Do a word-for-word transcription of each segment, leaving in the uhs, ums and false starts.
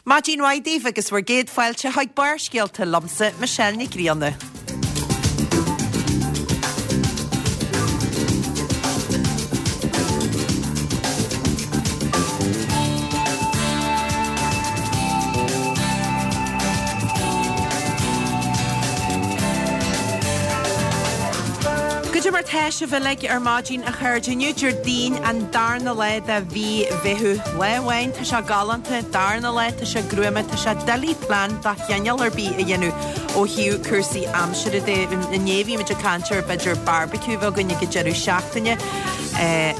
Maidin mhaith daoibh agus bhur gcéad fáilte chuig Barrscéalta liomsa, Michelle Nic Grianna. Goidé mar tá sibh uilig ar maidin a chairde inniu Déardaoin an darna lá de mhí Mheithimh. Lá amháin tá sé galánta, darna lá tá sé gruama, tá sé doiligh plean de chineál ar bith a dhéanamh ó thaobh cúrsaí aimsire de. Inné bhí muid ag caint ar b'fhéidir barbecue bheith againn ag an deireadh seachtaine.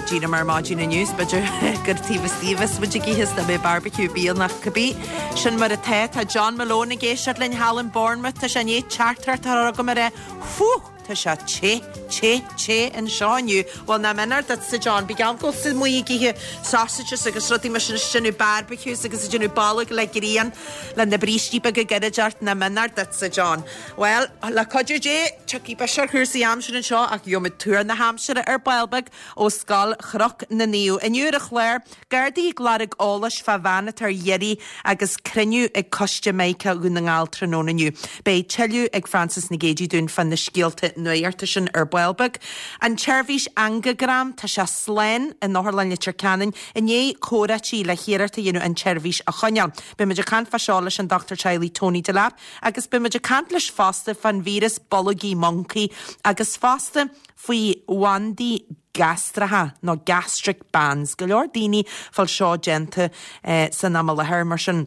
Díreach mar maidin inniu b'fhéidir gur taobh istigh a bheas muid ag ithe is nach mbeidh barbecue bíonn ach cibé. Sin mar atá, tá John Malone ag éisteacht linn thall in Bournemouth, tá sé i ndiaidh teachtaireacht a chur agam ar é. Fuh! Tá sé te, te, te anseo inniu. Bhuel, nach méanar duitse, John, bí geall go bhfuil muid ag ithe sausages agus rudaí mar sin is déanamh barbecues agus ag déanamh bolg le grian le na brístí beaga gairid ort, nach méanar duitse, John. Bhuel, le cuidiú Dé, tiocfaidh biseach ar chúrsaí aimsire anseo ach gheobhaimid tuar na haimsire ar ball beag ó Scoil Chnoc na Naomh. Inniu ar an chlár, Gardaí ag lorg eolais fá bhean atá ar iarraidh agus cruinniú ag Coiste Mica Dhún na nGall tráthnóna inniu. Beidh tuilleadh ag Francis Nic Géadaigh dúinn fá na scéalta nuachta sin ar ball beag. An tseirbhís angagram, tá sé slán in Otharlann Leitir Ceanainn i ndiaidh comhráití le hiarracht a dhéanamh an tseirbhís a choinneáil. Beidh muid ag caint fá seo leis an dochtúir teaghlaigh Tony Delap agus beidh muid ag caint leis fosta fán víreas bolgaí moncaí agus fosta faoi bhandaí gastracha nó gastric bands. Go leor daoine fáil seo déanta eh, san am i láthair mar sin.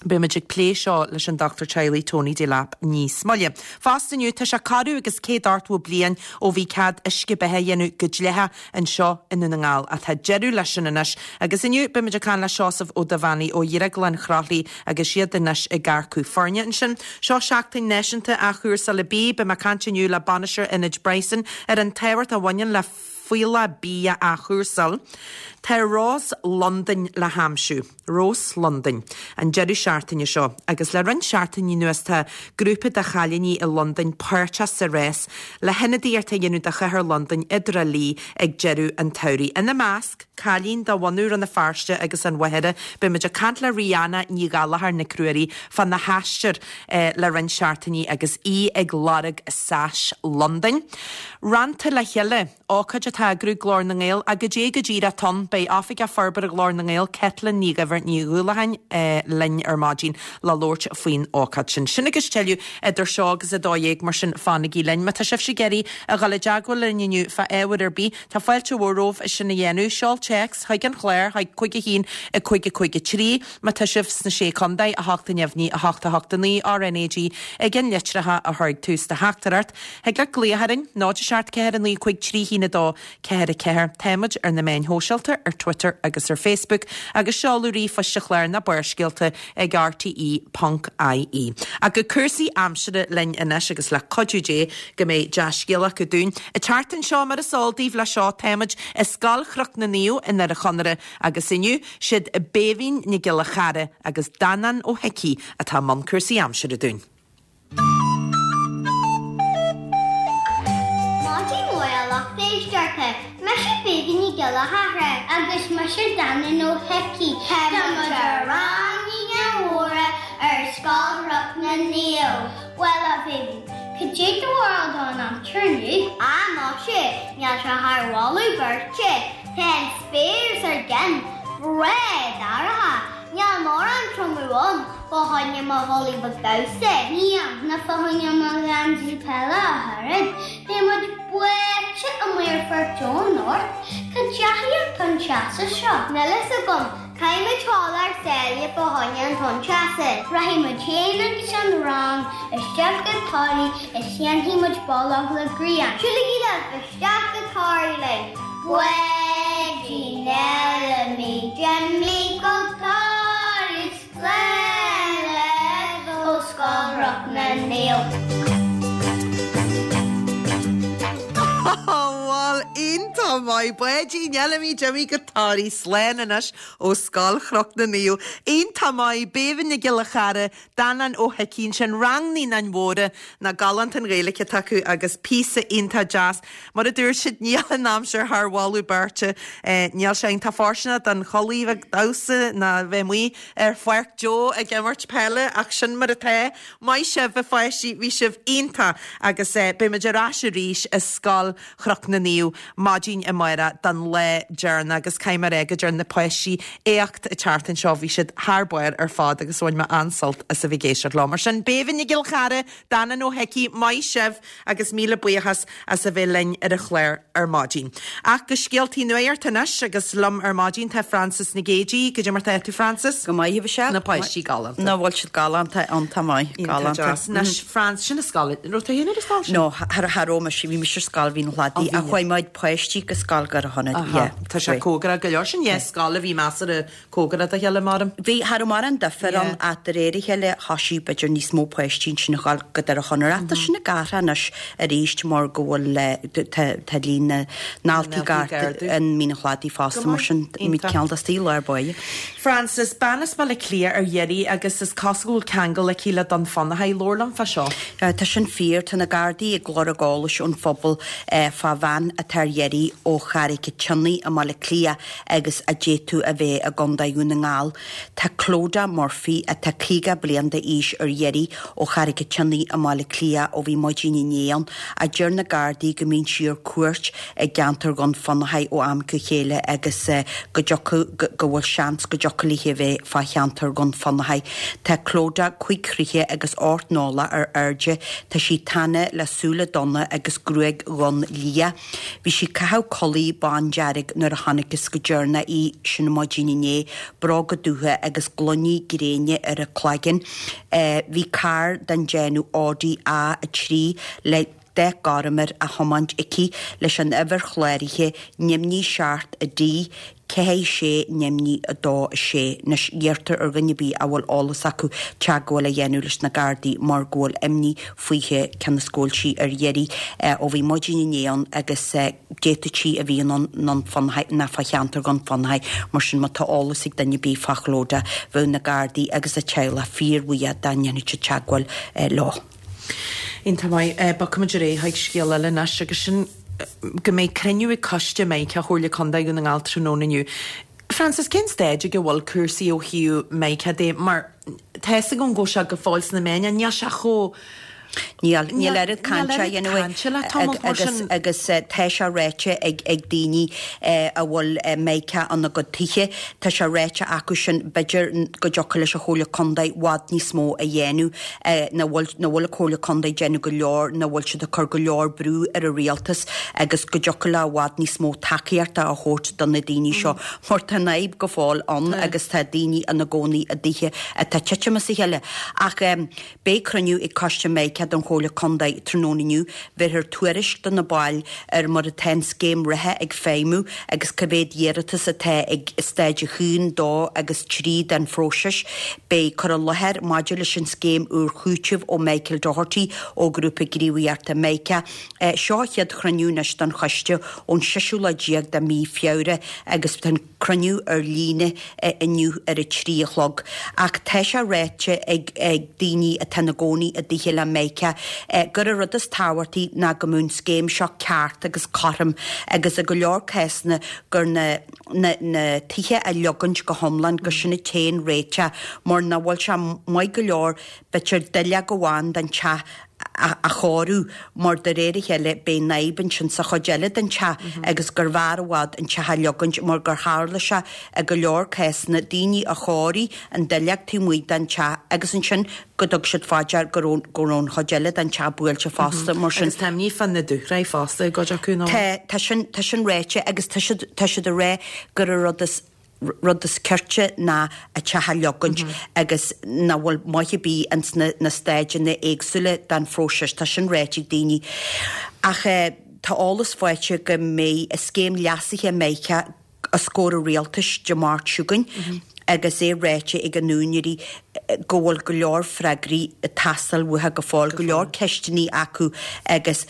Beimid ag plé seo leis an dochtúir teaghlaigh Tony Delap níos moille. Fosta inniu tá sé corradh agus céad ochtó bliain ó bhí cead uisce beatha a dhéanamh go dlítheach anseo i nDún na nGall ach tá deireadh leis sin anois. Agus inniu beimid ag caint le Seosamh Ó Duibheannaigh ó Dhrioglann Chroithlí agus iad anois ag earcú foirne ansin. Seo seachtain náisiúnta athchúrsála bídh, beidh mé ag caint inniu le bainisteoir Ionad Bryson ar an tábhacht a bhaineann le fuíollach bídh a athchúrsáil. Tá Rás Londain le haimsiú, Rós Londain, an deireadh seachtaine seo, agus le roinnt seachtainí anuas tá grúpa de chailíní i Londain páirteach sa rás le hionadaíocht a dhéanamh do chathair Londain i dTrá Lí ag deireadh an tsamhraidh. Ina measc, cailín de bhunadh Rann na Feirste agus an Mhachaire, beimid ag caint le Rihanna Ní Ghallchóir Nic Ruairí fána haistear le roinnt seachtainí agus í ag lorg Sash Londain. Rannta le chéile, ócáid atá á eagrú ag Glór na nGael, ach goidé go díreach atá ann, beidh Oifigeach Forbartha Ghlór na nGael, Caitlín Ní Dhuibhir Ní Dhúlacháin linn ar maidin le labhairt faoin ócáid sin. Sin agus tuilleadh idir seo agus a dó dhéag, mar sin fanaigí linn. Má tá sibhse ag iarraidh a dhul i dteagmháil linn inniu fá ábhar ar bith, tá fáilte mhór romhaibh é sin a dhéanamh. Seol téacs chuig an chlár chuig cúig a haon a cúig a cúig a trí. Má tá sibh sna Sé Chontae, a hocht a neamhní, a hocht a hocht a naoi, RnaG ag an litreacha a chur ag tús do theachtaireacht. Thig leat glaoch orainn, náid a seacht ceathair a naoi cúig trí haon a dó ceathair a ceathair. Táimid ar na meáin shóisialta, ar Twitter agus ar Facebook, agus seoladh ríomhphoist an chláir ná Barrscéalta ag rte ponc ie. Ach go cúrsaí aimsire linn anois agus le cuidiú Dé go mbeidh dea-scéala acu dúinn. An tseachtain seo mar is eol daoibh le seo táimid i Scoil Chnoc na Naomh i nDoire Chonaire agus inniu siad Béibhinn Nic Giolla Chara agus Danán Ó hIcí atá i mbun cúrsaí aimsire dúinn. Maidin mhaith a lucht éisteachta, mise Béibhinn Nic Giolla Chara agus mise Danán Ó hIcí. Tá muid i rang Uí Mhóra ar Scoil Chnoc na Naomh. Bhuel a Bhéibhinn, cad é do bharúil don aimsir inniu? Á muise, níl sé thar mholadh beirte. Tá an spéir os ár gcionn breá dorcha. Níl mórán triomú ann fá choinne mo chulaith bheag damhsa. Níl, ná fá choinne mo gheansaí peile ach oiread. Beidh muid báite amuigh ar Pháirc Joe anocht. Cá dteachaigh an tonn teasa seo? Níl fhios agam. Caithfidh muid dul thar sáile fá choinne an tonn teasa. Rachaidh muid féin agus an rang isteach go Toraigh is déanfaidh muid bolg le grian. Siúlaigí libh isteach go Toraigh linn. Báidín eile d'imigh go Toraigh slán libh ó Scoil Chnoc na Naomh. Bhuel, iontach Iontach maith Báidín Fheilimí Jimmy go Toraigh slán anois ó Scoil Chnoc na Naomh. Iontach maith Béibhinn Nic Giolla Chara, Danán Ó hIcín sin rang Naíonáin Mhóra nach galánta an Ghaeilge atá acu agus píosa iontach deas. Mar a dúirt siad níl an aimsir thar mholadh beirte níl sé iontach fóirsteanach don chulaith bheag damhsa ná bheith amuigh ar Pháirc Joe ag imirt peile ach sin mar atá. Maith sibh a pháistí bhí sibh iontach agus eh, beimid ar ais arís i Scoil Chnoc na Naomh maidin amárach don lá deireanach agus caithfidh mé a rá go dtearn na páistí éacht an tseachtain seo bhí siad thar barr ar fad agus bhain mé an-sult as a bheith ag éisteacht leo. Mar sin Béibhinn Nic Giolla Chara, Danán Ó hIcí maith sibh agus míle buíochas as a bheith linn ar an chlár ar maidin. Ach go scéaltaí nuachta anois agus liom ar maidin tá Francis Nic Géadaigh, goidé mar tá tú Francis? Go maith sé Na páistí galánta. Na bhfuil siad galánta iontach maith galánta. Anois Francis sin an scoil raibh tú féin ar an scoil sin? No thar thar ó si bhí mise ar scoil Mhín an Chladaigh Ó, a bhí. chuaigh muid páistí go scoil Dhoire Chonnair. Tá sé cóngarach go leor sin é scoil a bhí measartha cóngarach dá chéile mar. Bhí thar mar an difear an Yeah. at de réir a chéile thosaigh b'fhéidir níos mó páistí sin ag gabháil go Doire Chonaire. Tá sin ag athrú anois arís mar go bhfuil eh, d- tá tá líon na ndaltaí ndaltaí gar ag ardú. an Mín an Chladaigh fosta Go mar maith. sin mí Iontach. ceann de lár báire. Francis bean as Baile Átha Cliath ar iarraidh agus is cosúil go bhfuil ceangal aici le Dún Fionnachaidh labhair liom fá seo. Uh, Tá sin fíor tá na Gardaí ag lorg eolais ón phobal uh, fá bhean atá ar iarraidh ó Charraig an tSionnaigh i mBaile Átha Cliath agus a d'fhéadfadh a bheith i gContae Dhún na nGall. Tá Clodagh Murphy atá caoga bliain d'aois ar iarraidh ó Charraig an tSionnaigh i mBaile Átha Cliath ó bhí maidin inné ann a deir na Gardaí go mbíonn sí ar cuairt i gceantar Dhún Fionnachaidh ó am go chéile agus uh, go dtiocfadh go go bhfuil seans go dtiocfadh léi bheith fá cheantar Dhún Fionnachaidh. Tá Clodagh cúig troighe agus ocht n-orlach ar airde, Tá sí tana le súile donna agus gruaig dhonn liath. Bhí sí ag caitheamh culaith bándearg nuair a chonacthas go deireanach í sin maidin inné, bróga dubha agus gloiní gréine ar a cloigeann. Uh, bhí carr den déanamh Audi A a trí le dath gorm air á thiomáint aici leis an uimhir chláraithe neamhní seacht a D ceathair sé neamhní a dó a sé anois iarrtar ar dhuine ar bith a bhfuil eolas acu teagmháil a dhéanamh leis na Gardaí mar go bhfuil imní fúithi cionn is go bhfuil sí ar iarraidh ó bhí maidin inné ann agus d'fhéadfadh sí a bheith i nDún Fionnachaidh nó fá cheantar Dhún Fionnachaidh mar sin má tá eolas ag duine ar bith fá Chlodagh bheadh na Gardaí agus a teaghlach fíorbhuíoch dá ndéanfadh siad teagmháil leo. Iontach maith bogfaimid ar aghaidh scéal eile anois agus sin go mbeidh cruinniú ag coiste Micah Chomhairle Contae Dhún na nGall tráthnóna inniu. Francis cén staid ag a bhfuil cúrsaí ó thaobh Micah de mar tá go go sé go fóill sna meáin níl sé chomh Níl níl oiread cainte agus agus tá sé ráite ag ag daoine a bhfuil Mica ina gcuid tithe Tá sé ráite acu sin b'fhéidir go dtiocfadh leis an Chomhairle Contae i bhfad níos mó a dhéanamh nach bhfuil nach bhfuil an Chomhairle Contae ag déanamh go leor nach bhfuil siad ag cur go leor brú ar an rialtas agus go dtiocfadh le i bhfad níos mó tacaíochta a thabhairt do na daoine seo. Mar tá an fhadhb go fóill ann agus tá daoine ina gcónaí i dtithe atá ag titim as a chéile. Ach um, beidh cruinniú ag coiste Micah don Chomhairle Contae tráthnóna inniu, bhéarfar tuairisc do na baill ar mar atá an scéim reatha ag feidhmiú agus cá mhéad iarratas atá ag staid a haon dó agus trí den phróiseas. Beidh cur i láthair maidir leis an scéim úr chúitimh ó Michael Doherty ó Ghrúpa Gníomhaíochta Micah. Eh, seo chéad chruinniú anois don choiste ón séú lá déag de mhí Feabhra agus tá cruinniú ar líne eh, inniu ar a trí a chlog. Ach tá sé ráite ag, ag daoine atá ina gcónaí i dtithe le Micah eh, gur an rud is tábhachtaí ná go mbeadh an scéim seo ceart agus cothrom agus i go leor cásanna gur na, na, na tithe a leogaint go hiomlán go sin an t-aon réiteach mar nach bhfuil sé maith go leor b'fhéidir duilleog amháin den teach a, a chóiriú mar de réir a chéile beidh an fhadhb ansin sa chuid eile den teach agus gur bhfearr i bhfad an teach a leogaint mar gur tharla sé i go leor cásanna daoine a chóirigh an duilleog taobh amuigh den teach agus ansin go dtug siad faoi deara go raibh go raibh an chuid eile den teach buailte fosta mar sin. Agus tá imní fá na dúshraith fosta go acu nó. Tá tá sin tá sin ráite agus tá siad tá siad ag rá gur an rud is rud is cirte ná an teach a leogaint agus nach bhfuil maith bí ins na, na staideanna éagsúla den phróiseas tá sin ráite ag daoine. Ach eh, tá eolas faighte go mbeidh a scéim leasaithe Micah os comhair an rialtais Dé Máirt seo chugainn. agus é ráite ag an úinéirí go bhfuil go leor freagraí ag teastáil uathu go fóill, go leor ceisteanna acu agus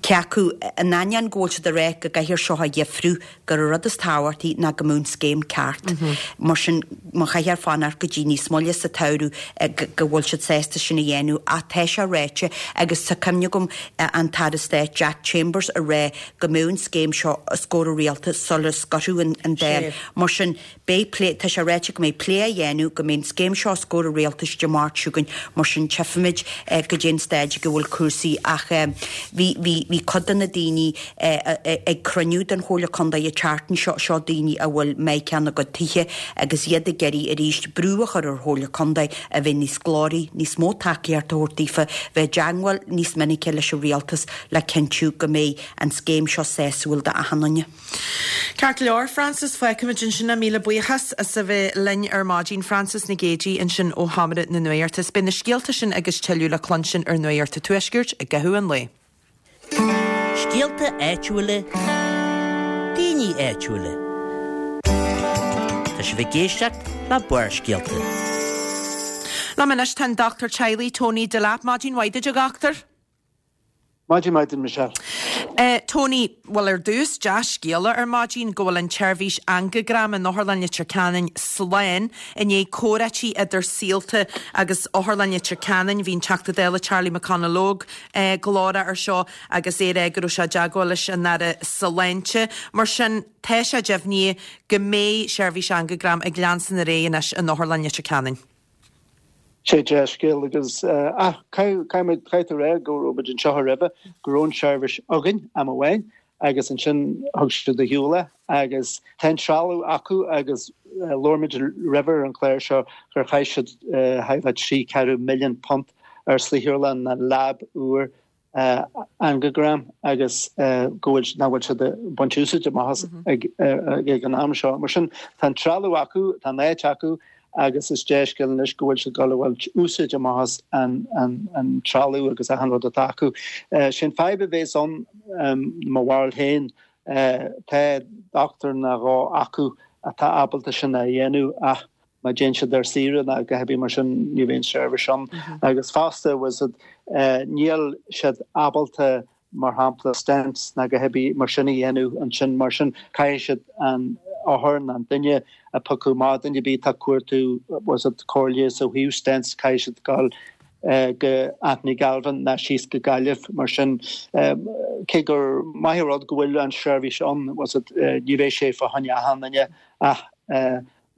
Cé acu, in ainneoin go bhfuil siad ag rá go gcaithfear seo a dheifriú, gur an rud is tábhachtaí ná go mbeadh an scéim ceart. Mar sin, má chaithfear fanacht go dtí níos moille sa tsamhradh go bhfuil siad sásta sin a dhéanamh. Ach tá sé ráite, agus tá cuimhne agam an tAire Stáit Jack Chambers ag rá go mbeadh an scéim seo os comhair an Rialtais sula scoirfeadh an Dáil. Mar sin, beidh plé, tá sé ráite go mbeidh plé á dhéanamh, go mbeidh an scéim seo os comhair an Rialtais Dé Máirt seo chugainn, mar sin tchífimid goidé an staid go bhfuil cúrsaí ach bhí, bhí, bhí cuid de na daoine ag cruinniú den Chomhairle Contae an tseachtain seo, seo daoine a bhfuil Meiriceá ina gcuid tithe agus iad ag iarraidh arís brú a chur ar Chomhairle Contae a bheith níos glóraí, níos mó tacaíocht a thabhairt daofa, bheith i dteangmháil níos minice leis an Rialtas le cinntiú go mbeidh an scéim seo sásúil d'achan duine. Ceart go leor, Frances, fágfaimid ansin é. Míle buíochas as a bheith linn ar maidin. Frances Nic Géadaigh ansin ó Sheomra na Nuachta. Is beidh na scéalta sin agus tuilleadh le cluinstin ar Nuacht an Tuaiscirt i gcaitheamh an lae. Scéalta áitiúla, daoine áitiúla. Tá sibh ag éisteacht le Barrscéalta. Liom anois tá an dochtúir teaghlaigh Tony Delap. Maidin mhaith duit, a dhochtúir. Maidin mhaith duit, Michelle. Uh, Tony, bhuel ar dtús dea-scéala ar maidin go bhfuil an tseirbhís angagram in Otharlann Leitir Ceanainn slán i ndiaidh comhráití idir Saolta agus Otharlann Leitir Ceanainn. Bhí an Teachta Dála Charlie McConalogue uh, glórach ar seo agus é ag rá go raibh sé i dteagmháil leis an Aire Sláinte. Mar sin tá sé deimhnithe go mbeidh seirbhís angagram ag leanstan ar aghaidh anois in Otharlann Leitir Ceanainn. Sé dea-scéal agus ah caithfidh tú rá go raibh muid anseo roimhe go raibh an seirbhís againn am amháin agus ansin thug siad ar shiúl é agus tá an trealamh acu agus labhair muid roimhe ar an chlár seo gur chaith siad thart fá trí ceathrú milliún punt ar saotharlann na lab úr angagram agus go bhfuil nach bhfuil siad ag baint úsáid amach as ag ag an am seo. Mar sin tá an trealamh acu, tá an áit acu agus is dea-scéal anois go bhfuil siad ag baint úsáid amach as an, an, an trealamh agus achan rud atá acu. Sin fadhb a bheas ann mo bharúil féin tá dochtúir nó dhó acu atá ábalta sin a dhéanamh ach má théann siad ar saoire nó a dhath mar sin ní bheidh an seirbhís ann. Agus fosta was it níl siad ábalta mar shampla stents nó a dhath mar sin a dhéanamh ansin mar sin caithfidh siad an othar an duine a piocadh má duine ar bith tá cuartú was it comhairle ó thaobh stents caithfidh siad dul go Anthony Galvin ná síos go Gaillimh mar sin cé gur maith rud go bhfuil an seirbhís ann was it ní bheidh sé fá choinne achan duine ach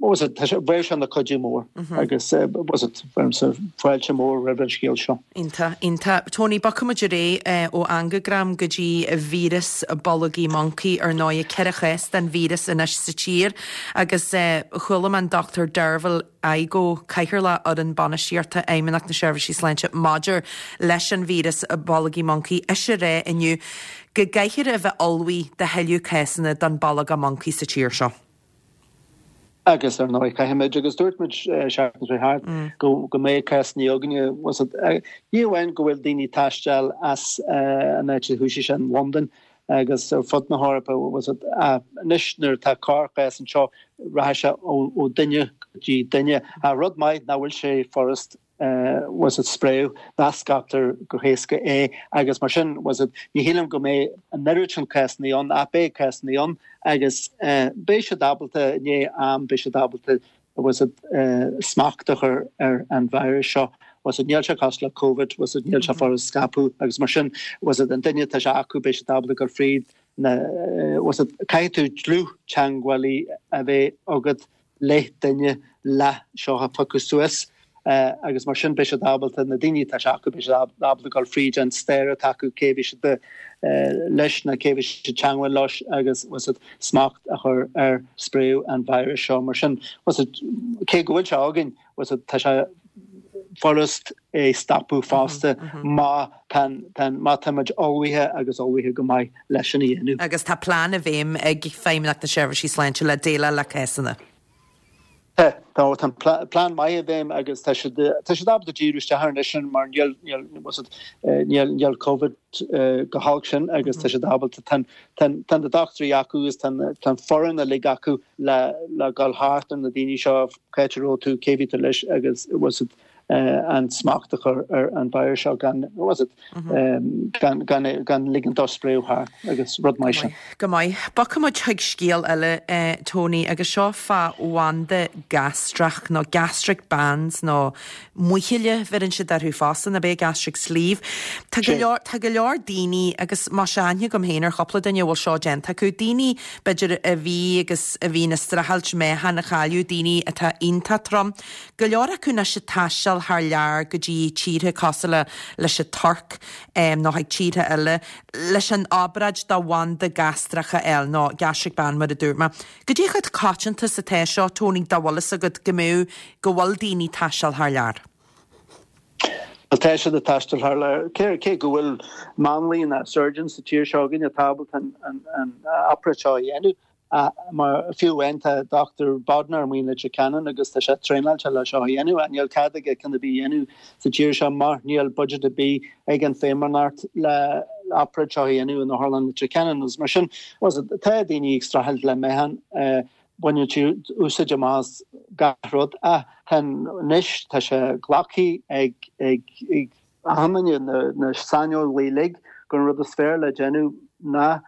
was it bheadh sé ina chuidiú mór agus was it fáilte mór roimh an scéal seo. Iontach, iontach. Tony, bogfaimid ar aghaidh ó angagram go dtí víreas bolgaí moncaí ar ndóigh ceithre chás den víreas anois sa tír agus chuala mé an Dr Derval Igoe Cathaoirleach Fhoireann Bainistíochta Fheidhmeannacht na Seirbhísí Sláinte maidir leis an víreas bolgaí moncaí is é rá inniu go gcaithfear a bheith ullmhaithe do thuilleadh cásanna den bolgach moncaí sa tír seo. Agus ar ndóigh caithfimid agus dúirt muid seachtain seo thart go go mbeidh cásanna againne was it ní amháin go bhfuil daoine ag taisteal as an áit a thosaigh sé in Londain agus ar fud na hEorpa was it anois nuair atá corrchás anseo rachaidh sé ó duine go dtí duine. A rud maith nach bhfuil sé furast was it spréadh ná scaiptear go héasca é agus mar sin was it ní shílim go mbeidh an oiread sin cásanna ann ach beidh cásanna ann agus beidh siad ábalta i ndiaidh am beidh siad ábalta was it smacht a chur ar an virus seo was it níl sé cosúil le COVID was it níl sé furast scaipeadh agus mar sin was it an duine atá sé acu beidh siad ábalta gur fríd na was it caithfidh tú dlúth-teagmhálaí a bheith agat le duine le seo a phiocadh suas agus mar sin beidh siad ábalta na daoine atá sé acu beidh siad ábalta dul fríd an stair atá acu cé bhí siad leis na cé bhí siad teagmháil leis agus was it smacht a chur ar spréadh an virus seo mar sin was it cé go bhfuil sé againn was it tá sé furast é stopadh fosta má má táimid ullmhaithe agus ullmhaithe go maith leis sin a dhéanamh. Agus tá plean i bhfeidhm ag Feidhmeannacht na Seirbhísí Sláinte le déileáil le cásanna. Tá tá plean maith i bhfeidhm agus tá siad tá siad ábalta díriú isteach air anois sin mar níl níl níl níl COVID go holc sin agus tá siad ábalta tá tá na dochtúirí acu agus tá tá foireann uilig acu le le dul thart ar na daoine seo cá raibh tú cé bhí tú leis agus was it an smacht a chur ar an virus seo gan was it gan gan gan ligean dó spréadh thart agus rud mar sin. Go maith. Bogfaidh muid chuig scéal eile eh, Tony agus seo fá bhanda gastrach nó gastric bands nó muichille bheireann siad orthu fosta nó b'é gastric sleeve. Tá go leor tá go leor daoine agus má aithne agam féin ar chúpla duine a bhfuil seo déanta acu daoine b'fhéidir a bhí agus a bhí ag streachailt meáchan a chailleadh daoine atá iontach trom. Go leor acu anois ag taisteal thar lear go dtí tíortha cosúil leis an Tuirc um, nó chuig tíortha eile leis an obráid do bhanda gastrach a fháil nó gastric band mar a dúirt mé. Goidé chomh coitianta is atá seo Tony dá bhfuil fhios agat go mbeadh go bhfuil daoine taisteal thar lear. Well tá siad ag taisteal thar lear cé cé go bhfuil máinlia na surgeons sa tír seo againn atá ábalta an an an obráid seo a dhéanamh mar fiú amháin tá Dr. Bodnar amuigh in Leitir Ceanainn agus tá sé traenáilte le seo a dhéanamh an níl cead aige ceann ar bith a dhéanamh sa tír seo mar níl budget ar bith ag an Feidhmeannacht le obráid seo a dhéanamh in Otharlann Leitir Ceanainn agus mar sin was it tá daoine ag streachailt le meáchan baineann siad úsáid amach as gach rud a anois tá sé glactha ag ag ag achan na na saineolaithe uilig gur an rud is fearr le déanamh ná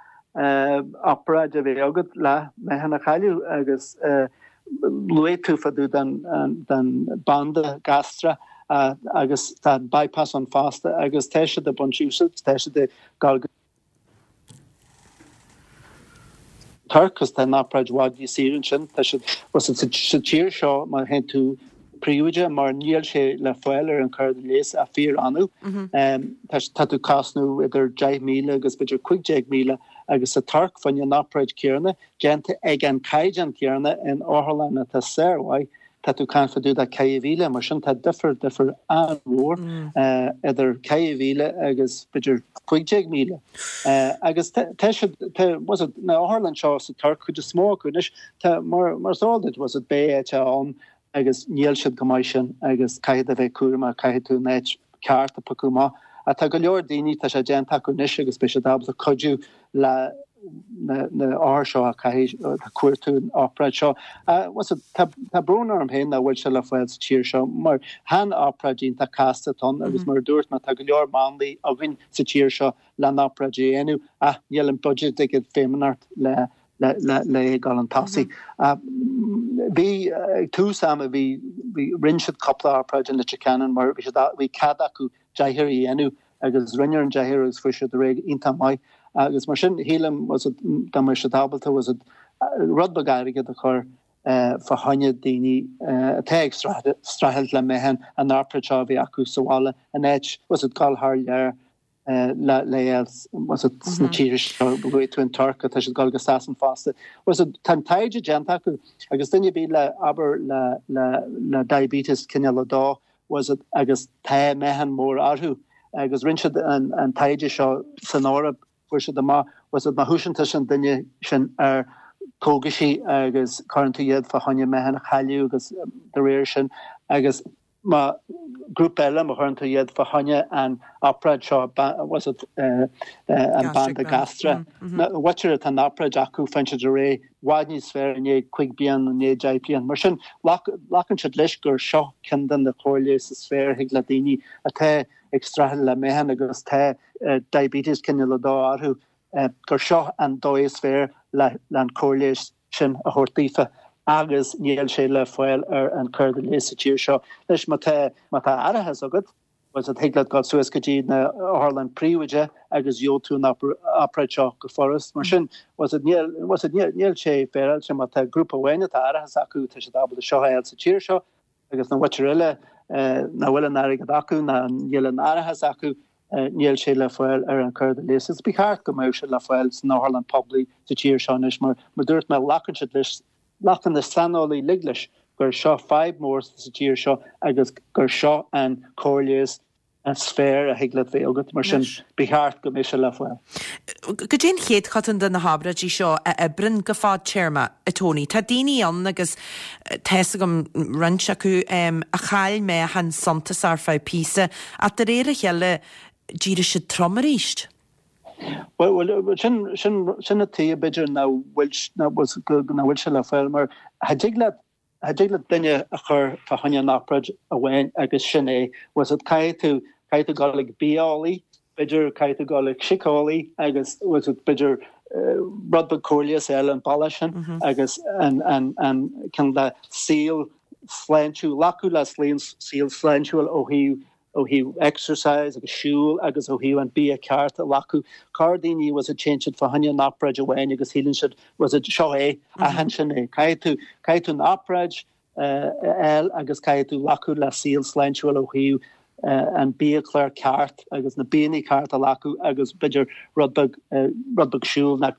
obráid a bheith agat le meáchan a chailleadh agus luaigh tú fá dtaobh den den banda gastrach agus tá bypass ann fosta agus tá siad ag baint úsáid tá siad ag gabháil go Tuirc agus tá an obráid i bhfad níos saoire ansin tá siad sa tír seo má théann tú príobháideach mar níl sé le fáil ar an córas leighis ach fíor-annamh. Tá tú cosnú idir deich míle agus b'fhéidir cúig déag míle agus sa Tuirc fá choinne an obráid céanna déanta ag an caighdeán céanna in otharlann atá sármhaith tá tú caint fá dtaobh de ceithre mhíle mar sin tá difear difear an-mhór idir ceithre mhíle agus b'fhéidir cúig déag míle. Agus tá siad tá was it na otharlann seo sa Tuirc cuid is mó acu anois tá mar mar is eol duit was it beidh áit ann agus níl siad go maith sin agus caithfidh a bheith cúramach caithfidh tú an áit ceart a phiocadh amach. Ach tá go leor daoine tá sé déanta acu anois agus beidh siad ábalta cuidiú le na na othair seo a caithfidh ag cuartú an obráid seo. Was it tá tá brón orm féin nach bhfuil sé le fáil sa tír seo mar chan obráid iontach casta atá ann agus mar a dúirt mé tá go leor máinlia againn sa tír seo le an obráid a dhéanamh ach níl an budget ag an Feidhmeannacht le le le le gabháil chun tosaigh. Bhí ag tús ama bhí bhí rinne siad cúpla obráid in Leitir Ceanainn mar bhí siad bhí cead acu deichniúr a dhéanamh agus rinneadh an deichniúr agus fuair siad ar aghaidh iontach maith agus mar sin shílim was it dá mbeadh siad ábalta was it rud beag airgead a chur fá choinne daoine atá ag streachailt le meáchan an obráid seo a bhí acu sa bhaile in áit was it gabháil thar lear le le was it sna tíortha seo luaigh tú an Tuirc tá siad ag gabháil go Sasain fosta. Was it tá an taighde déanta acu agus duine ar bith le abair le le le diabetes cineál a dó was it agus tá meáchan mór orthu agus rinne siad an an taighde seo san Eoraip fuair siad amach was it má thosaíonn tusa an duine sin ar cógaisí agus cuireann tú iad fá choinne meáchan a chailleadh agus de réir sin agus má grúpa eile má chuireann tú iad fá choinne an obráid seo was it an banda gastrach na mhuintir atá an obráid acu faigheann siad ar aghaidh i bhfad níos fearr i ndiaidh cúig bliain i ndiaidh deich bliain. Mar sin glacann siad leis gur seo ceann de na cóir leighis is fearr a thig le daoine atá ag streachailt le meáchan agus tá diabetes cineál a dó orthu gur seo an dóigh is fearr le an cóir leighis sin a thabhairt daofa agus níl sé le fáil ar an córas leighis sa tír seo. Anois má tá má tá árachas agat, bhuel thig leat dul suas go dtí na otharlann príobháideach agus gheobhaidh tú an obráid seo go furast. Mar sin, bhuel níl bhuel níl níl sé féaráilte má tá grúpa amháin atá árachas acu tá siad ábalta seo a fháil sa tír seo agus na mhuintir eile nach bhfuil an airgead acu ná níl an árachas acu níl sé le fáil ar an córas leighis. Is ba cheart go mbeadh sé le fáil san otharlann poiblí sa tír seo anois mar mar dúirt mé glacann siad leis glacann na saineolaithe uilig leis gur seo fadhb mór sa tír seo agus gur seo an cóir leighis is fearr a thig leat bheith agat mar sin ba cheart go mbeadh sé le fáil. Goidé an chéatadán de na hobráidí seo a oibreann go fadtéarma, a Tony? Tá daoine ann agus tá fhios agam roinnt acu a chaill meáchan suntasach ar feadh píosa ach de réir a chéile d'éirigh siad trom arís. Bhuel, sin sin sin an tuige b'fhéidir nach bhfuil nach bhfuil sé le fáil mar cha dtig leat Cha dtig le duine a chur fá choinne an obráid amháin agus sin é, bhfuil 's agat, caithfidh tú, caithfidh tú dul ag bitheolaí, b'fhéidir caithfidh tú dul ag síceolaí agus bhfuil 's agat, b'fhéidir rud beag comhairle is eile an bealach sin agus an, an, an cineál de saol sláintiúil, glacadh le saol sláintiúil ó thaobh ó thaobh exercise agus siúl agus ó thaobh an bia ceart a ghlacadh. Corr daoine bhfuil 's agat téann siad fá choinne an obráid amháin agus shíleann siad bhfuil 's agat seo é, aithin sin é. Caithfidh tú, caithfidh tú an obráid a fháil agus caithfidh tú glacadh le saol sláintiúil ó thaobh an biachlár ceart agus na bianna ceart a ghlacadh agus b'fhéidir rud beag, rud beag siúl nó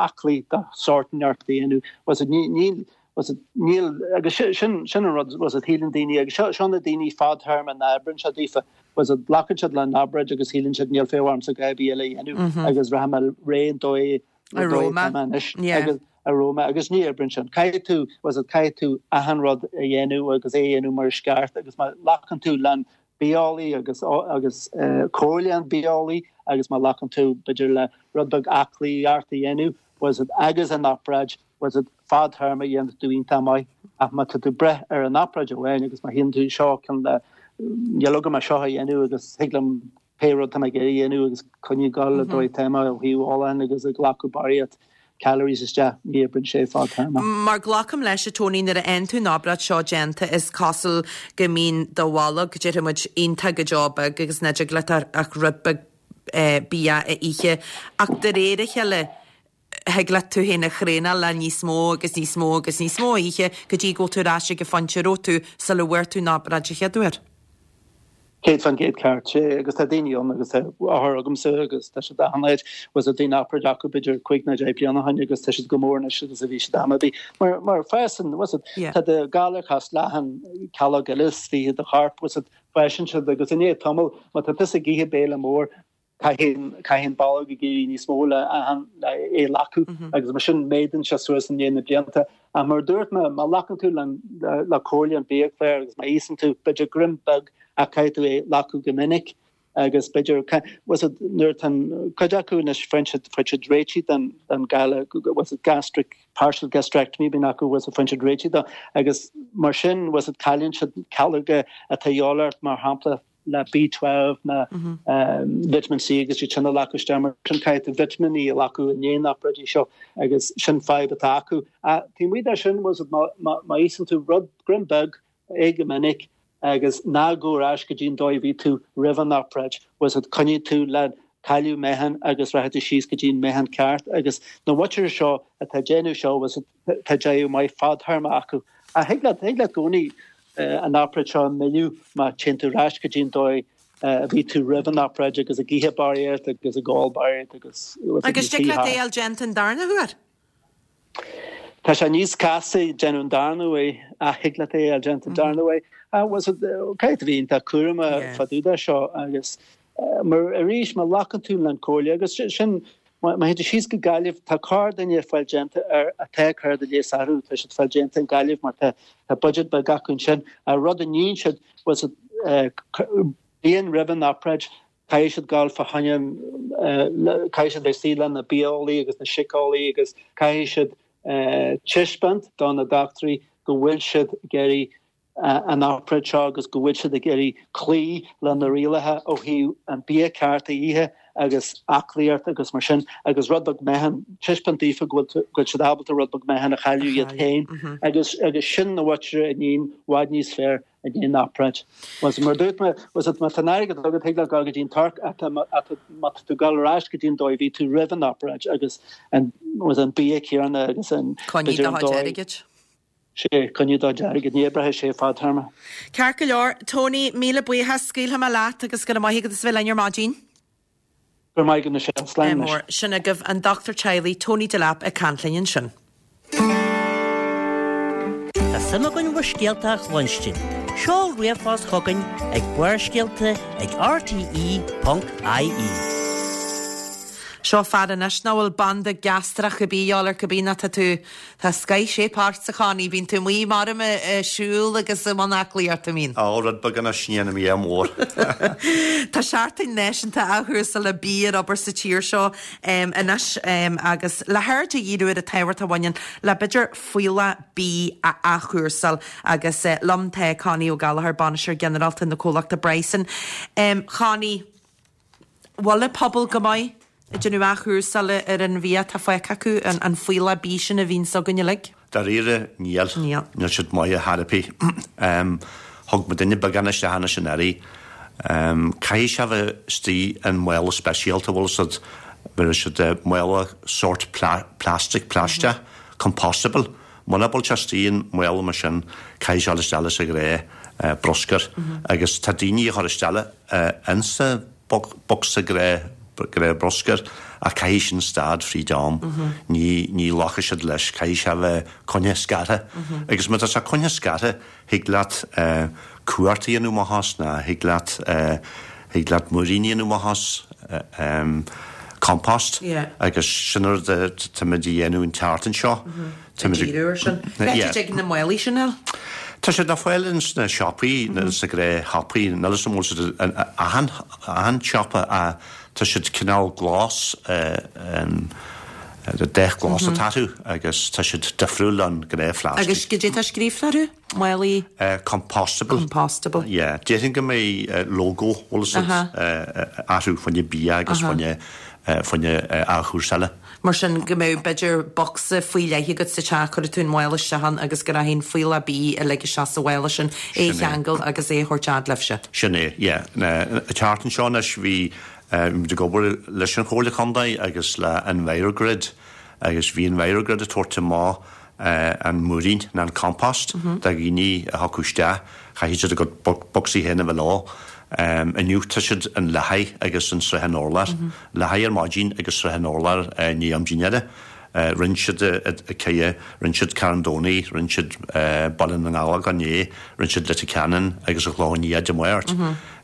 aclaí de sórt inteacht a dhéanamh. Bhfuil 's agat ní, níl, bhfuil 's agat níl, agus sin, sin an rud, bhfuil 's agat shíleann daoine, agus seo, seo na daoine fadtéarma nach oibreann sé daofa, bhfuil 's agat glacann siad le an obráid agus shíleann siad níl feidhm ormsa a dhath ar bith eile a dhéanamh agus rachaidh mé réidh an dóigh, A an dóigh raibh mé. atá mé anois Yeah. agus a raibh mé agus ní oibreann sin. Caithfidh tú, bhfuil 's agat caithfidh tú achan rud a dhéanamh agus é a dhéanamh mar is ceart agus má ghlacann tú le bitheolaí agus agus comhairle an bitheolaí agus má ghlacann tú b'fhéidir le rud beag aclaíocht a dhéanamh, bhfuil 's agat agus an obráid, bhfuil 's agat fadtéarma dhéanfaidh tú iontach maith ach má tá tú ag brath ar an obráid amháin agus má shíleann tú seo cineál de níl agam ach seo a dhéanamh agus thig liom pé rud tá mé ag iarraidh a dhéanamh agus coinneáil ag dul an dóigh atá mé ó thaobh fholláin agus ag glacadh barraíocht calories isteach, ní oibreann sé fadtéarma. Mar glacaim leis, a Tony, nuair a fhaigheann tú an obráid seo déanta is cosúil go mbíonn do bholg, déarfaidh muid, iontach go deo beag agus nach dtig leat ach rud beag bia a ithe. Ach de réir a chéile, thig leat tú féin a thraenáil le níos mó agus níos mó agus níos mó a ithe go dtí go bhfuil tú ar ais ag an phointe a raibh tú sula bhfuair tú an obráid an chéad uair. Céad faoin gcéad ceart, sé, agus tá daoine ann agus tá othair agamsa agus tá siad achan áit, bhfuil 's agat bhí an obráid acu b'fhéidir cúig nó deich bliana ó shin agus tá siad go mór anois agus a bhí siad am ar bith. Mar, mar fásann, bhfuil 's agat, Yeah. tá do galar cosúil le achan calóg eile istigh i do chorp, bhfuil 's agat, fásann siad agus i ndiaidh tamaill, má tá tusa ag ithe béile mór, caithfidh, caithfidh an bolg ag éirí níos mó le achan, le é a ghlacadh agus mar sin méadaíonn sé suas i ndiaidh na blianta. Ach mar a dúirt mé, má ghlacann tú le, le comhairle an biachláir agus má íosann tú b'fhéidir greim beag ach caithfidh tú é a ghlacadh go minic agus b'fhéidir, bhfuil 's agat, nuair atá an cuid acu anois faigheann siad, faigheann siad réitigh den, den galar, bhfuil 's agat, gastric, partial gastrectomy bíonn acu, bhfuil 's agat, faigheann siad réitigh dó agus mar sin, bhfuil 's agat, cailleann siad calóga atá de dhíobháil ort mar shampla le B twelve ná vitamin C agus iad sin a ghlacadh isteach mar sin caithfidh tú vitimíní a ghlacadh i ndiaidh na n-obráidí seo agus sin fadhb atá acu. Ach taobh amuigh de sin, bhfuil 's agat, má, má, má íosann tú rud greim beag é go minic agus ná gabh ar ais go dtí an dóigh a bhí tú roimh an obráid, bhfuil 's agat, coinneoidh tú le cailleadh meáchan agus rachaidh tú síos go dtí an meáchan ceart agus na muintire seo atá ag déanamh seo, bhfuil 's agat, tá deireadh maith fadtéarma acu. Ach thig leat, thig leat i gcónaí an obráid seo a mhilleadh má téann tú ar ais go dtí an dóigh a bhí tú roimh an obráid agus ag ithe barraíocht agus ag ól barraíocht agus Agus dtig leat é a fháil déanta an darna huair? Tá sé níos casta déanamh an darna huair ach thig leat é a fháil déanta an darna huair. Bhfuil 's agat, caithfidh tú bheith iontach cúramach fá dtaobh de seo agus mar arís má ghlacann tú le an comhairle agus sin má théann tú síos go Gaillimh tá corrdhuine ag fáil déanta ar atá cur de léas orthu tá siad fáil déanta in Gaillimh mar tá tá budget beag acu ansin. An rud a níonn siad bhfuil 's agat bliain roimh an obráid caithfidh siad gabháil fá choinne caithfidh siad bheith istigh le na bitheolaí agus na síceolaí agus caithfidh siad taispeáint do na dochtúirí go bhfuil siad ag iarraidh an obráid seo agus go bhfuil siad ag iarraidh cloí le na rialacha ó thaobh an bia ceart a ithe agus aclaíocht agus mar sin agus rud beag meáchan, taispeáint daofa go bhfuil go bhfuil siad ábalta rud beag meáchan a chailleadh iad féin agus agus sin na mhuintire a níonn i bhfad níos fearr i ndiaidh an obráid. Was mar dúirt mé, was má tá an airgead agat thig leat dul go dtí an Tuirc ach má tá tú ag dul ar ais go dtí an dóigh a bhí tú roimh an obráid agus an was an bia céanna agus an Coinnigh b'fhéidir do an chuid dóigh airgid. Sé, coinnigh do chuid airgid, ní oibreoidh sé fadtéarma. Ceart go leor, Tony, míle buíochas, scaoilfidh mé leat agus go raibh maith agat as bheith linn ar maidin. Go raibh maith agat Michelle, slán anois. Mór, sin agaibh an dochtúir teaghlaigh Tony Delap ag caint linn ansin. Tá suim againn bhur scéalta a chluinstin. Seol ríomhphost chugainn ag barrscéalta ag rte ponc ie. Seo Seo fear anois nach bhfuil banda gastrach ar bith ar cibé ná tá tú tá scoith shape ort a Chonnie, bíonn tú amuigh mar ag siúl agus i mbun aclaíochta an mbíonn? Á, rud beag anois, ní dhéanaim é mór. Tá seachtain náisiúnta athchúrsála bia ar obair sa tír seo anois agus le haird a dhíriú ar an tábhacht a bhaineann le b'fhéidir fuíollach bídh a athchúrsáil agus liom tá Connie Ó Gallchóir, Bainisteoir Ginearálta na comhlachta Bryson. Connie, bhfuil an pobal go maith ag déanamh athchúrsála ar an bhia atá fágtha acu, an fuíollach bídh sin a bhíonns againn uilig? Dáiríre, níl. Níl. Níl siad maith ar chor ar bith. Thug mo duine beagán isteach anois an earraí. Caithfidh sé bheith istigh in mála speisialta, bhfuil fhios agat, bheir siad mála sórt plastic, plaisteach, compostable. Muna bhfuil sé istigh in mála mar sin, caithfidh sé dul isteach leis an ghnáth bruscar. Agus tá daoine a chur isteach insa bocsa gnáth bruscair ach caithfidh sin stad fríd am. Ní ní ghlacfaidh siad leis, caithfidh sé a bheith coinnithe scartha. Agus má tá sé coinnithe scartha, thig leat cumhart a dhéanamh amach as ná thig leat thig leat múiríní a dhéanamh amach as, compost. Agus sin an rud atáimid a dhéanamh an tseachtain seo. Ag díriú ar sin. Cá dtig na málaí sin a fháil? Tá siad le fáil ins na siopaí, sa ghnáthshiopaí, níl fhios agam an bhfuil siad in achan achan siopa ach tá siad cineál glas, dath glas atá orthu agus tá siad difriúil ón ghnáthphlastic. Agus goidé tá scríofa orthu? Málaí? Compostable. Compostable. Yeah. Déarfainn go mbeidh logo, bhfuil fhios agat, orthu fá choinne bia agus fá choinne fá choinne athchúrsála. Mar sin go mbeadh b'fhéidir bocsa faoi leith agat sa teach, cuirfidh tú an mála isteach ann agus go rachaidh an fuíollach bídh uilig isteach sa mhála sin, é a cheangal agus é a thabhairt fhad libhse. Sin é, yeah. An tseachtain seo anois bhí muid ag obair leis an Chomhairle Contae agus le EnviroGrid agus bhí EnviroGrid ag tabhairt amach an múirín ná an compost do dhaoine a thiocfadh isteach. Chaithfidh siad a gcuid bocsaí féin a bheith leo. Inniu tá siad in Leathadh agus in Srath an Urláir. Leathadh ar maidin agus Srath an Urláir i ndiaidh am dinnéara. Rinne siad Cille, rinne siad Carn Domhnaigh, rinne siad Baile na nGallógach inné, rinne siad Leitir Ceanainn agus an Chlochán Liath Dé Máirt.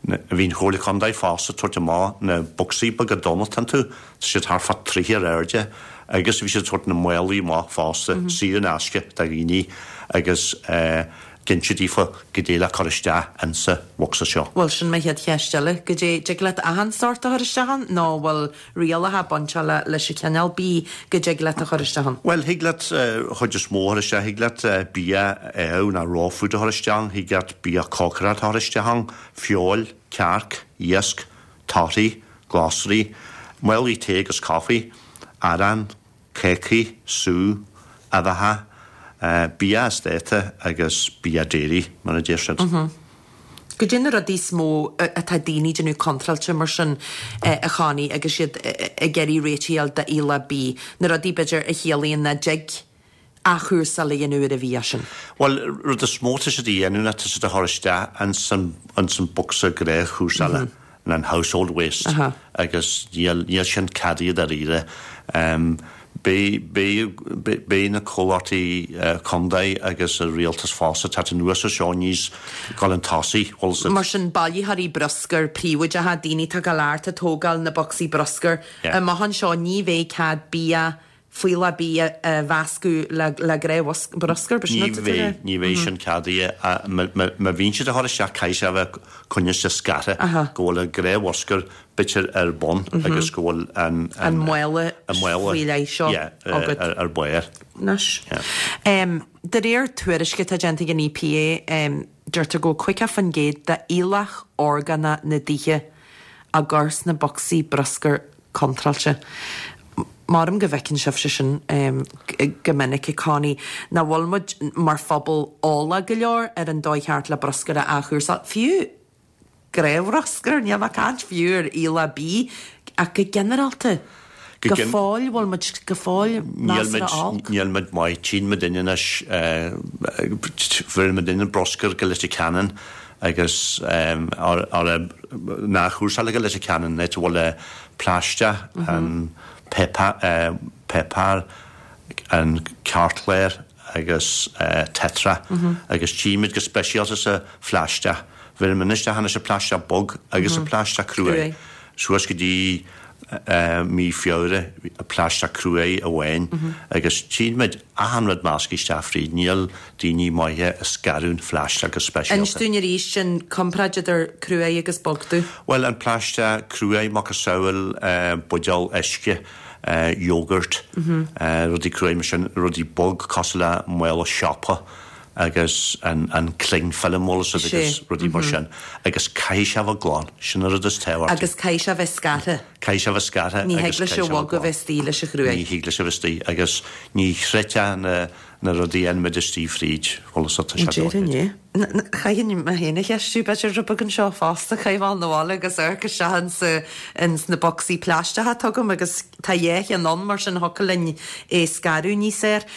Bhí an Chomhairle Contae fosta ag tabhairt amach na bocsaí beaga donn atá iontu, tá siad thart fá troigh ar airde agus bhí siad ag tabhairt na málaí amach fosta, saor in aisce do dhaoine agus d'inis siad daofa goidé le cur isteach insa bhocsa seo. Bhuel, sin mo chéad cheist eile. Goidé, dtig leat achan sórt a chur isteach ann nó bhfuil rialacha bainteach le leis an chineál bídh go dtig leat a chur isteach ann? Bhuel, thig leat chuid is mó a chur isteach. Thig leat bia amh ná raw food a chur isteach ann, thig leat bia cócaireachta a chur isteach ann, feoil, cearc, iasc, torthaí, glasraí, málaí tae agus caife, arán, cácaí, sú, uibheacha, bia as dáta agus bia dairy, mar a deir siad. Goidé na rudaí is mó atá daoine ag déanamh contráilte mar sin a Chonnie agus iad ag iarraidh réitigh a fháil d'fhuíollach bídh, na rudaí b'fhéidir a chiallaíonn nach dtig athchúrsáil a dhéanamh ar an bhia sin? Bhuel, rud is mó atá siad a dhéanamh ná tá siad a chur isteach ins an ins an bocsa gnáthchúrsála, an household waste, agus níl níl sin ceadaithe dáiríre. Beidh beidh beidh na comhlachtaí contae agus an rialtas fosta ag teacht anuas ar seo níos dul chun tosaigh, bhfuil fhios agat. Mar sin, bailitheoirí bruscair príobháideacha, daoine atá ag dul thart ag tógáil na bocsaí bruscair, amach anseo ní bheidh cead bia, fuíollach bídh a mheascadh le le gnáthbhruscar, b'shin Ní bheidh, ní bheidh sin ceadaithe. Má bhíonn siad a chur isteach caithfidh sé a bheith coinnithe scartha, go bhfuil an gnáthbhruscar b'fhéidir ar bun agus go bhfuil an an mála faoi leith seo agat. ar barr. Anois. De réir tuairisce atá déanta ag an EPA, deirtear go bhfuil caoga faoin gcéad d'fhuíollach orgánach na dtithe á gcur sna bocsaí bruscair contráilte. Maram go bhfeiceann sibhse sin go minic, a Connie, nach bhfuil muid mar phobal eolach go leor ar an dóigh cheart le bruscar a athchúrsáil, fiú gnáthbhruscar, níl mé ag caint fiú ar fhuíollach bídh, ach go ginearálta, go fóill, bhfuil muid go fóill measartha olc? Níl muid maith, tchíonn muid anois, bheireann muid an bruscar go Leitir Ceanainn agus ar n-athchúrsáil go Leitir Ceanainn, áit a bhfuil plaisteach, an páipéar, an cairtchlár agus Tetra agus tchímid go speisialta sa phlaisteach. Bheireann muid isteach anois an plaisteach bog agus an plaisteach cruaidh suas go dtí mí Feabhra plaisteach cruaidh amháin agus tchíonn muid achan rud measctha isteach fríd, níl daoine maithe ag scaradh an phlaisteach go speisialta. Inis dúinn arís an comparáid idir cruaidh agus bogdubh. Bhuel, an plaisteach cruaidh, macasamhail buidéal uisce, yogurt, rudaí cruaidh mar sin, rudaí bog cosúil le mála siopa agus an an cling film bhfuil fhios agat agus rudaí mar sin agus caithfidh sé a bheith glan, sin an rud is tábhachtaí. Agus caithfidh sé a bheith scartha. Caithfidh sé a bheith scartha Ní thig leis an bhog a bheith istigh leis an chruaidh. Ní thig leis a bheith istigh agus ní chreidfeá na na rudaí a fhaigheann muid istigh fríd, bhfuil fhios agat, tá sé Déarfainn é. Chaithfinn mé féin a cheistiú b'fhéidir rud beag anseo fosta, chaithfinn a ghabháil 'na bhaile agus amharc isteach insa ins na bocsaí plaisteacha atá agam agus tá dhá cheann ann mar sin thiocfadh linn é scaradh níos fhearr.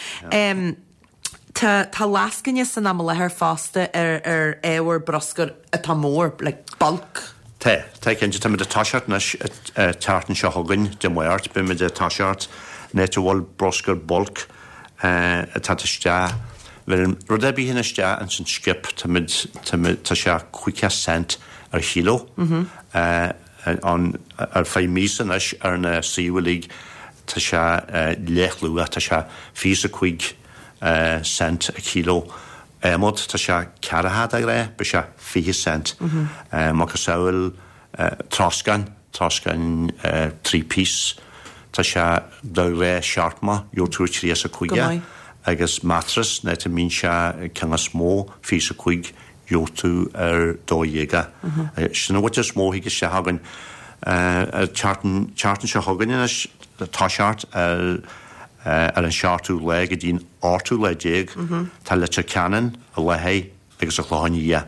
Tá tá lascaine san am i láthair fosta ar ar ábhar bruscair atá mór, like bulk. Tá, tá cinnte. Táimid ag toiseacht anois an tseachtain seo chugainn, Dé Máirt, beimid ag toiseacht an áit a bhfuil bruscar bulk ag teacht isteach. Bheireann rud ar bith in isteach ins an skip, táimid, táimid, tá sé caoga cent ar chilo. An, ar feadh míosa anois ar na suímh uilig tá sé leathluach, tá sé fiche is a cúig cent a kilo adhmad, tá sé ceathracha de ghnáth, beidh sé fiche cent. Macasamhail troscán, troscán three piece, tá sé de ghnáth seachtó, gheobhaidh tú trí is a cúig é. Agus mattress, an áit a mbíonn sé ceann is mó, fiche is a cúig, gheobhaidh tú ar dó dhéag é. Sin an chuid is mó a thig isteach againn. An tseachtain seo chugainn anois, toiseacht ar ar an seachtú lá go dtí an ochtú lá déag, tá Leitir Ceanainn, an Leathadh agus an Clochán Liath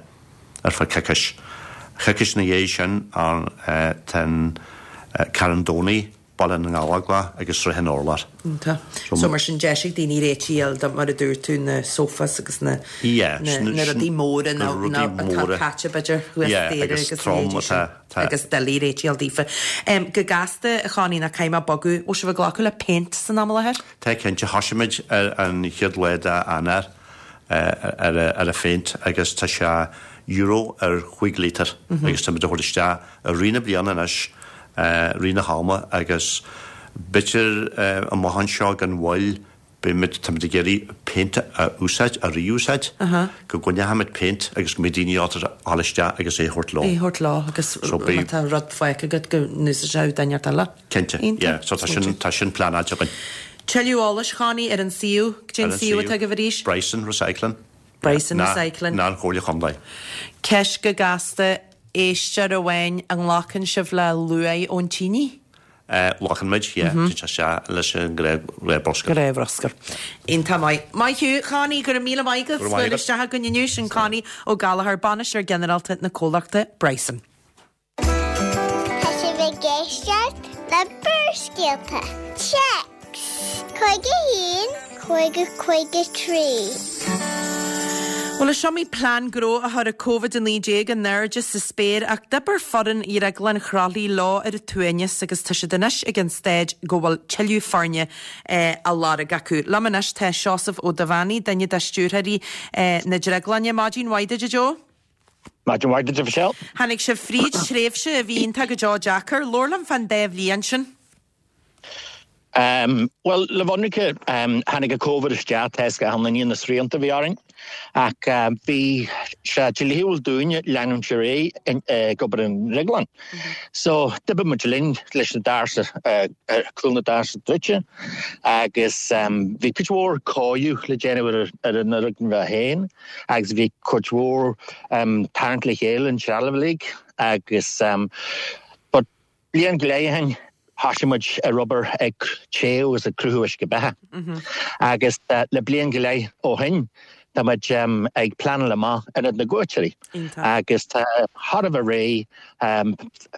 ar feadh coicís. Coicís ina dhiaidh sin tá an Carn Domhnaigh, Baile na nGallóglach agus Srath an Urláir. Iontach. So mar sin deis ag daoine réitigh a fháil do, mar a dúirt tú, na sofas agus na na rudaí móra na atá caite b'fhéidir thuas staighre agus a leithéidí sin. Agus doiligh réitigh a fháil daofa. Go gasta, a Chonnie, nó caithfidh mé bogadh, bhfuil sibh ag glacadh le péint san am i láthair? Tá cinnte, thosaigh muid ar an chéad lá d'Eanáir ar ar an phéint agus tá sé euro ar chúig lítear agus táimid á thabhairt isteach i rith na bliana anois, rith na hama agus b'fhéidir amach anseo gan mhoill beimid, táimid ag iarraidh péint a úsáid, a rí-úsáid, go gcoinneochaimid péint agus go mbeidh daoine ábalta a dhul isteach agus é a thabhairt leo. É a thabhairt leo agus má tá rud fágtha agat go n-úsáidfeadh duine inteacht eile. Cinnte, yeah, so tá sin, tá sin pleanáilte againn. Tuilleadh eolais, Chonnie, ar an suíomh, cad é an suíomh atá agaibh arís? Bryson Recycling. Bryson Recycling. Ná an Chomhairle Chontae. Ceist go gasta, éisteoir amháin, an nglacann sibh le luaith ón tine? Glacann muid, yeah, téann sé isteach leis an ghnáthbhruscar. Gnáthbhruscar. Iontach maith. Maith thú, Connie, go raibh míle maith agat. Go raibh maith agat. Isteach againn inniu, sin Connie Ó Gallchóir, Bainisteoir Ginearálta na comhlachta Bryson. Tá sibh ag éisteacht le Barrscéalta. Téacs cúig a haon, cúig a cúig a trí. Bhuel, is iomaí plean gnó a chuir Covid a naoi déag in airde sa spéir ach d'oibir foireann Dhrioglann Chroithlí leo ar a tsuaimhneas agus tá siad anois ag an staid go bhfuil tuilleadh foirne á lorg acu. Liom anois tá Seosamh Ó Duibheannaigh, duine de stiúrthóirí na Drioglainne. Maidin mhaith duit, a Joe. Maidin mhaith duit, a Mhichelle. Tháinig sibh fríd tréimhse a bhí iontach go deo deacair. Labhair liom fán dá bhliain sin. Bhuel, le bheith ionraic, tháinig an Covid isteach, tá 'fhios ag achan duine na srianta a bhí orainn, ach bhí sé dlíthiúil dúinne leanúint ar aghaidh ag obair an drioglann. So, d'oibrigh muid linn leis na doirse, cúl na doirse druidte agus bhí cuid mhór cóiriú le déanamh ar an fhoirgneamh féin agus bhí cuid mhór tarraingt le chéile an trealamh uilig agus but bliain go leith ó shin, Thosaigh muid ar obair ag téamh agus ag cruthú uisce beatha. Agus le bliain go leith ó shin, tá muid ag pleanáil amach Ionad na gCuairteoirí. Agus tá thar a bheith réidh,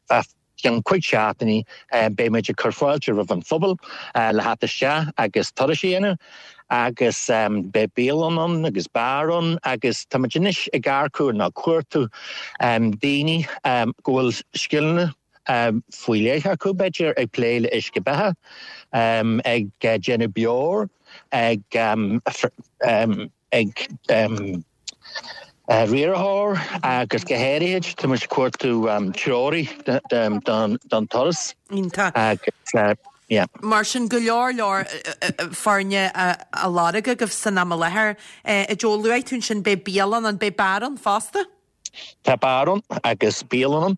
fá cheann cúig seachtainí beidh muid ag cur fáilte roimh an phobal le theacht isteach agus turais a dhéanamh. Agus beidh bialann ann agus beár ann agus tá muid anois ag earcú nó cuartú daoine go bhfuil scileanna faoi leith acu, b'fhéidir, ag plé le uisce beatha, ag déanamh beoir, ag ag Riarthóir agus go háirithe tá muid ag cuartú treoraí don turas. Iontach. Agus yeah. Mar sin go leor leor foirne á lorg agaibh san am i láthair. A Joe, luaigh tú ansin beidh bialann ann, beidh beár ann fosta? Tá beár ann agus bialann ann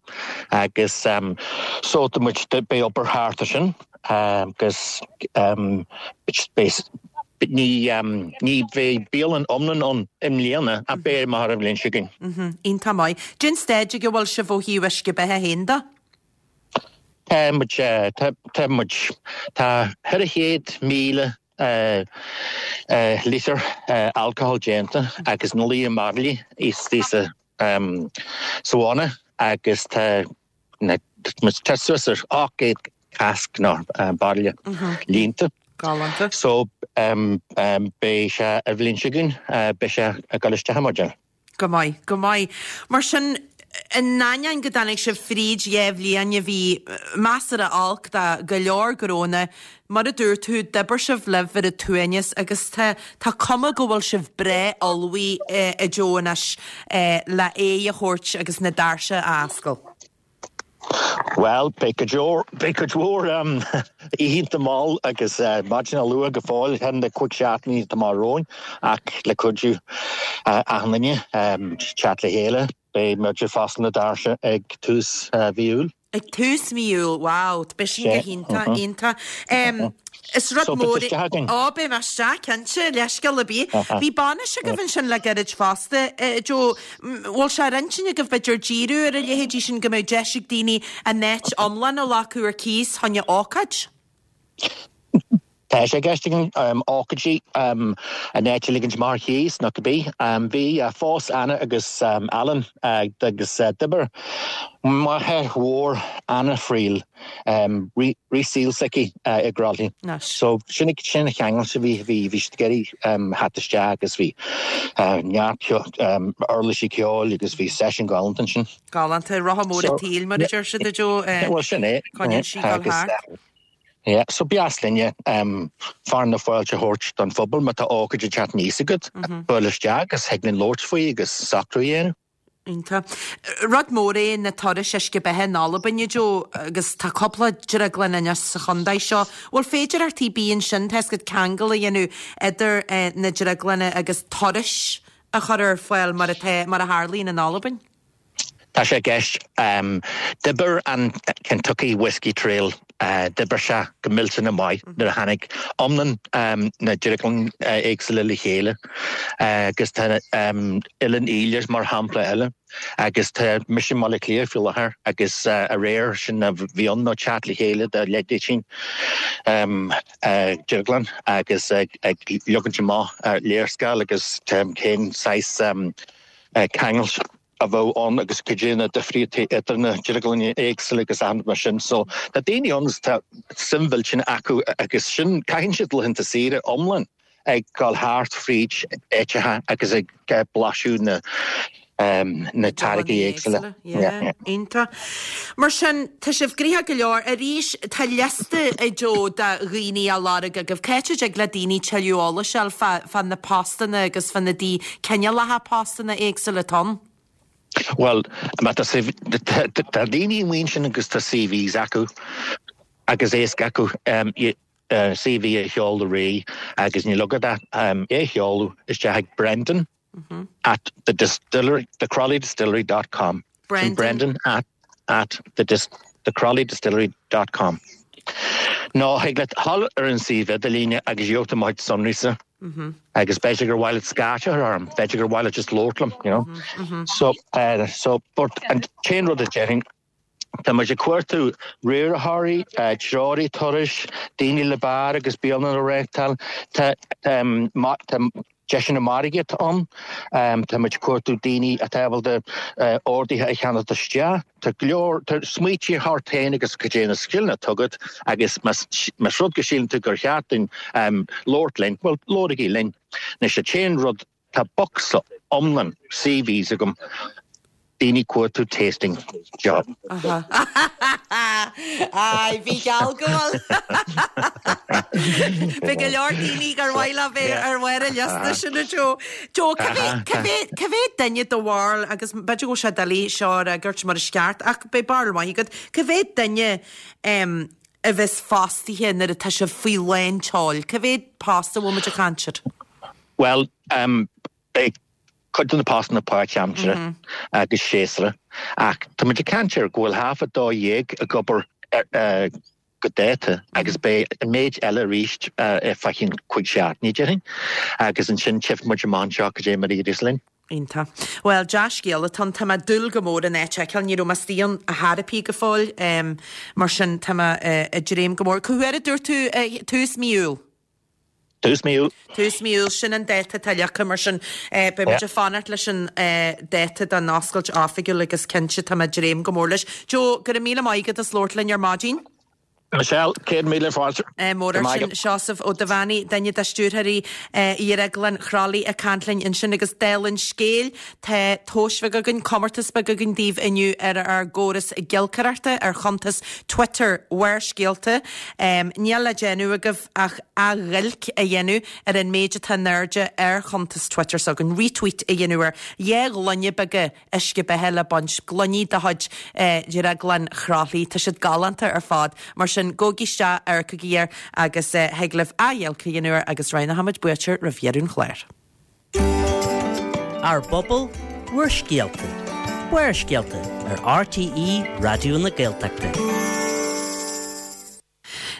agus so tá muid, beidh obair thart ar sin agus beidh Ní ní bheidh bialann iomlán ann i mbliana ach beidh amach an bhliain seo chugainn. Iontach maith. Cén staid ag a bhfuil sibh ó thaobh uisce beatha féin de? Tá muid tá tá muid tá ceithre chéad míle lítear alcohol déanta agus na líon mbairillí istigh sa sa bhanna agus tá tá suas ar ocht gcéad cask nó bairille líonta. Galánta. So beidh sé an bhliain seo chugainn, beidh sé ag dul isteach mar sin. Go maith, go maith. Mar sin, in ainneoin go dtáinig sibh fríd dhá bhliain a bhí measartha olc do go leor gnónna, mar a dúirt tú, d'oibir sibh libh ar an tsuaimhneas agus tá tá cuma go bhfuil sibh breá ullmhaithe a Joe anois le aghaidh a thabhairt agus na doirse a oscailt. Bhuel, beidh cuid mhór, beidh cuid mhór oícheanta mall agus maidin luath go fóill thar na cúig seachtainí atá amach romhainn ach le cuidiú achan duine teacht le chéile, beidh muid ag foscailt na doirse ag tús mhí Iúil. Ag tús mí Iúil, wow, beidh sin go hiontach, iontach. Is rud mór é. Ó, beidh mé isteach, cinnte, leithscéal ar bith. Bhí bainis agaibh ansin le gairid fosta, Joe. Bhfuil sé ar intinn agaibh b'fhéidir díriú ar a leithéidí sin go mbeadh deis ag daoine an áit iomlán a ghlacadh ar cíos fá choinne ócáid? Tá sé i gceist againn ócáidí an áit a ligint amach ar chíos nó cibé. Bhí phós Anna agus Alan agus d'oibir máthair mhór Anna Friel rith saoil s'aici i gCrolly. So sin sin an cheangal a bhí bhí bhí siad ag iarraidh theacht isteach agus bhí neart uirlisí ceoil agus bhí seisiún galánta ansin. Galánta, rotha mór an tsaoil mar a deir siad a Joe. Bhuel sin é. Coinníonn sí dul thart. Yeah, so b'dheas linne fearadh na fáilte a thabhairt don phobal má tá ócáid ag teacht aníos agat, buail isteach agus thig linn labhairt faoi agus socrú a dhéanamh. Iontach. Rud mór é na turais uisce beatha in Albain, a Joe, agus tá cúpla drioglann anois sa chontae seo. Bhfuil féidearthachtaí ar bith ansin, tá a fhios agat, ceangal a dhéanamh idir na drioglanna agus turais a chur ar fáil mar atá, mar a tharlaíonn in Albain? Tá sé i gceist. D'oibir an Kentucky Whiskey Trail, d'oibir sé go millteanach maith nuair a tháinig iomlán na drioglann éagsúla le chéile agus tá Oileán Íle mar shampla eile agus tá mise i mBaile Átha Cliath faoi láthair agus aréir sin a bhí ann ná teacht le chéile de leithéidí drioglann agus ag leagaint amach léarscáil agus cén saghas ceangal a bheadh ann agus cad é na difríochtaí idir na drioglanna éagsúla agus achan rud mar sin. So tá daoine ann is tá suim mhillteanach acu agus sin, caitheann siad laethanta saoire iomlán ag dul thart fríd áiteacha agus ag blaiseadh na na táirgí éagsúla. Yeah, iontach. Mar sin, tá sibh gnoitheach go leor. Arís, tá liosta, a Joe, de dhaoine á lorg agaibh. Cá háit a dtig le daoine tuilleadh eolais a fháil fá na postanna agus fá na cineálacha postanna éagsúla atá ann? Bhuel, má tá tá daoine amuigh ansin agus tá CVs acu agus éasca acu CV a sheoladh ar aghaidh agus níl agat ach é a sheoladh isteach ag Brendan at the distillery, the Crolly Distillery dot com. Brendan. Brendan at at the dis, the Crolly Distillery dot com. Nó thig leat dhul ar an suíomh idirlíne agus gheobhaidh tú mo chuid sonraí-sa. Agus b'fhéidir gur mhaith leat scairt a chur orm, b'fhéidir gur mhaith leat just labhairt liom, you know. So, uh, so, but an t-aon rud a déarfainn, tá muid ag cuartú riarthóirí, uh, treoraí turais, daoine le beár agus bialann a reáchtáil, tá, um, tá deiseanna margaíochta ann, um, tá muid ag cuartú daoine atá ábalta uh, orduithe a cheannacht isteach, tá go leor, tá smaoití ort féin agus cad é na scileanna atá agat agus más más rud go síleann tú gur cheart dúinn um, labhairt linn, bhuel, labhraigí linn. Anois an t-aon rud, tá bocsa iomlán CVs agam, daoine ag cuartú tasting job. Ai, bhí geall go bhfuil. Bhí go leor daoine gur mhaith leo bheith ar bharr an liosta sin a Joe. Joe, cá mhéad duine do bharúil agus b'fhéidir go bhfuil sé doiligh seo a fhreagairt mar is ceart ach beidh barúil maith agat, cá mhéad duine a bheas fostaithe nuair atá sibh faoi lán tseoil? Cá mhéad post a bhfuil muid ag caint air? Well, beidh cuid de na postanna páirtaimseartha agus séasúrach ach tá muid ag caint ar go bhfuil half a dó dhéag ag obair go dáta agus beidh an méid eile arís ar feadh cinn cúig seachtaine déarfainn agus ansin tchífidh muid amach anseo cad é mar a éireos linn. Iontach. Bhuel, dea-scéal atá ann. Tá mé ag dúil go mór an áit a fheiceáil. Ní raibh mé istigh ann ar chor ar bith go fóill, mar sin tá mé ag dréim go mór. Cá huair a dúirt tú tús mí Iúil? Tús mí Iúil. Tús mí Iúil, sin an dáta atá leagtha, mar sin beidh muid ag fanacht leis an dáta don oscailt oifigiúil agus cinnte tá mé ag dréim go mór leis. Joe, go raibh míle maith agat as labhairt linn ar maidin. Michelle, céad míle fáilte. Mór air sin, Seosamh Ó Duibheannaigh, duine de stiúrthóirí Dhrioglann Chroithlí ag caint linn ansin agus dála an scéil, tá tomhais bheag againn, comórtas beag againn daoibh inniu ar ár gcóras giolcaireachta ar chuntas Twitter Bharrscéalta. Níl le déanamh agaibh ach athghiolc a dhéanamh ar an méid atá in airde ar chuntas Twitter s'againn, retweet a dhéanamh air. Dhá ghloine beaga uisce beatha le baint, gloiní de chuid Dhrioglann Chroithlí. Tá siad galánta ar fad. Mar sin, gabhaigí isteach, amharcaigí air agus thig libh athghiolc a dhéanamh air agus roghnóimid buaiteoir roimh dheireadh an chláir. Ár bpobal, bhur scéalta. Barrscéalta ar RTÉ Raidió na Gaeltachta.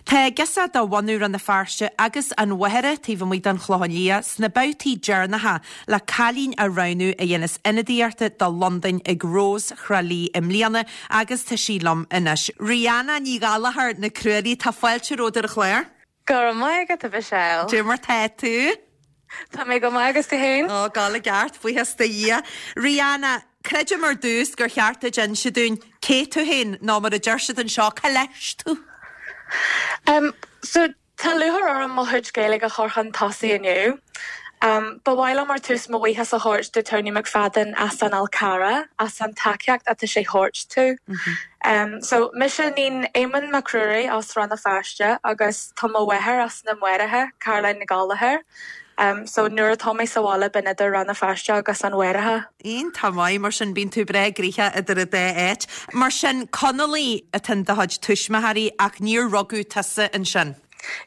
Tá girseach de bhunadh Rann na Feirste agus an Mhachaire taobh amuigh den Chlochán Liath sna babhtaí deireanacha le cailín a roghnú a dhéanfas ionadaíocht do Londain ag Rós Thrá Lí i mbliana agus tá sí liom anois. Rihanna Ní Ghallchóir na Crualaoi, tá fáilte romhat ar an chlár. Go raibh maith agat a Mhichelle. Cad é mar tá tú? Tá mé go maith agus tú féin? Ó, ag gabháil i gceart, buíochas do Dhia. Rihanna, creidim ar dtús gur cheart duit inse dúinn cé tú féin nó mar a deir siad anseo, cá leis tú? Um, so tá lúcháir orm mo chuid Gaeilge a chur chun tosaigh inniu. Um, ba mhaith liom ar tús mo bhuíochas a thabhairt do Tony McFadden as an Fhál Carrach as an tacaíocht atá sé thabhairt tú. Mm -hmm. Um, so mise níon Éamonn Mac Ruairí as Rann na Feirste agus tá mo mháthair as na Maoraithe, Caroline Ní Ghallchóir. Um, so nuair atá mé sa bhaile bím idir Rann na Feirste agus an Mhaoraithe. Iontach maith mar sin bíonn tú breá gnoitheach idir an dá áit. Mar sin Conallaigh atá in do chuid tuismitheoirí ach níor rugadh tusa ansin.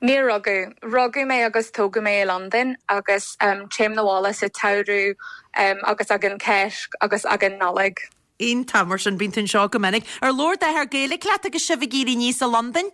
Níor rugadh. Rugadh mé agus tógadh mé i Londain agus um, téim na bhaile sa tsamhradh um, agus ag an Chéasc agus ag an Nollaig. Iontach mar sin bíonn tú anseo go minic. Ar labhair d'athair Gaeilge leat agus sibh ag éirí aníos i Londain?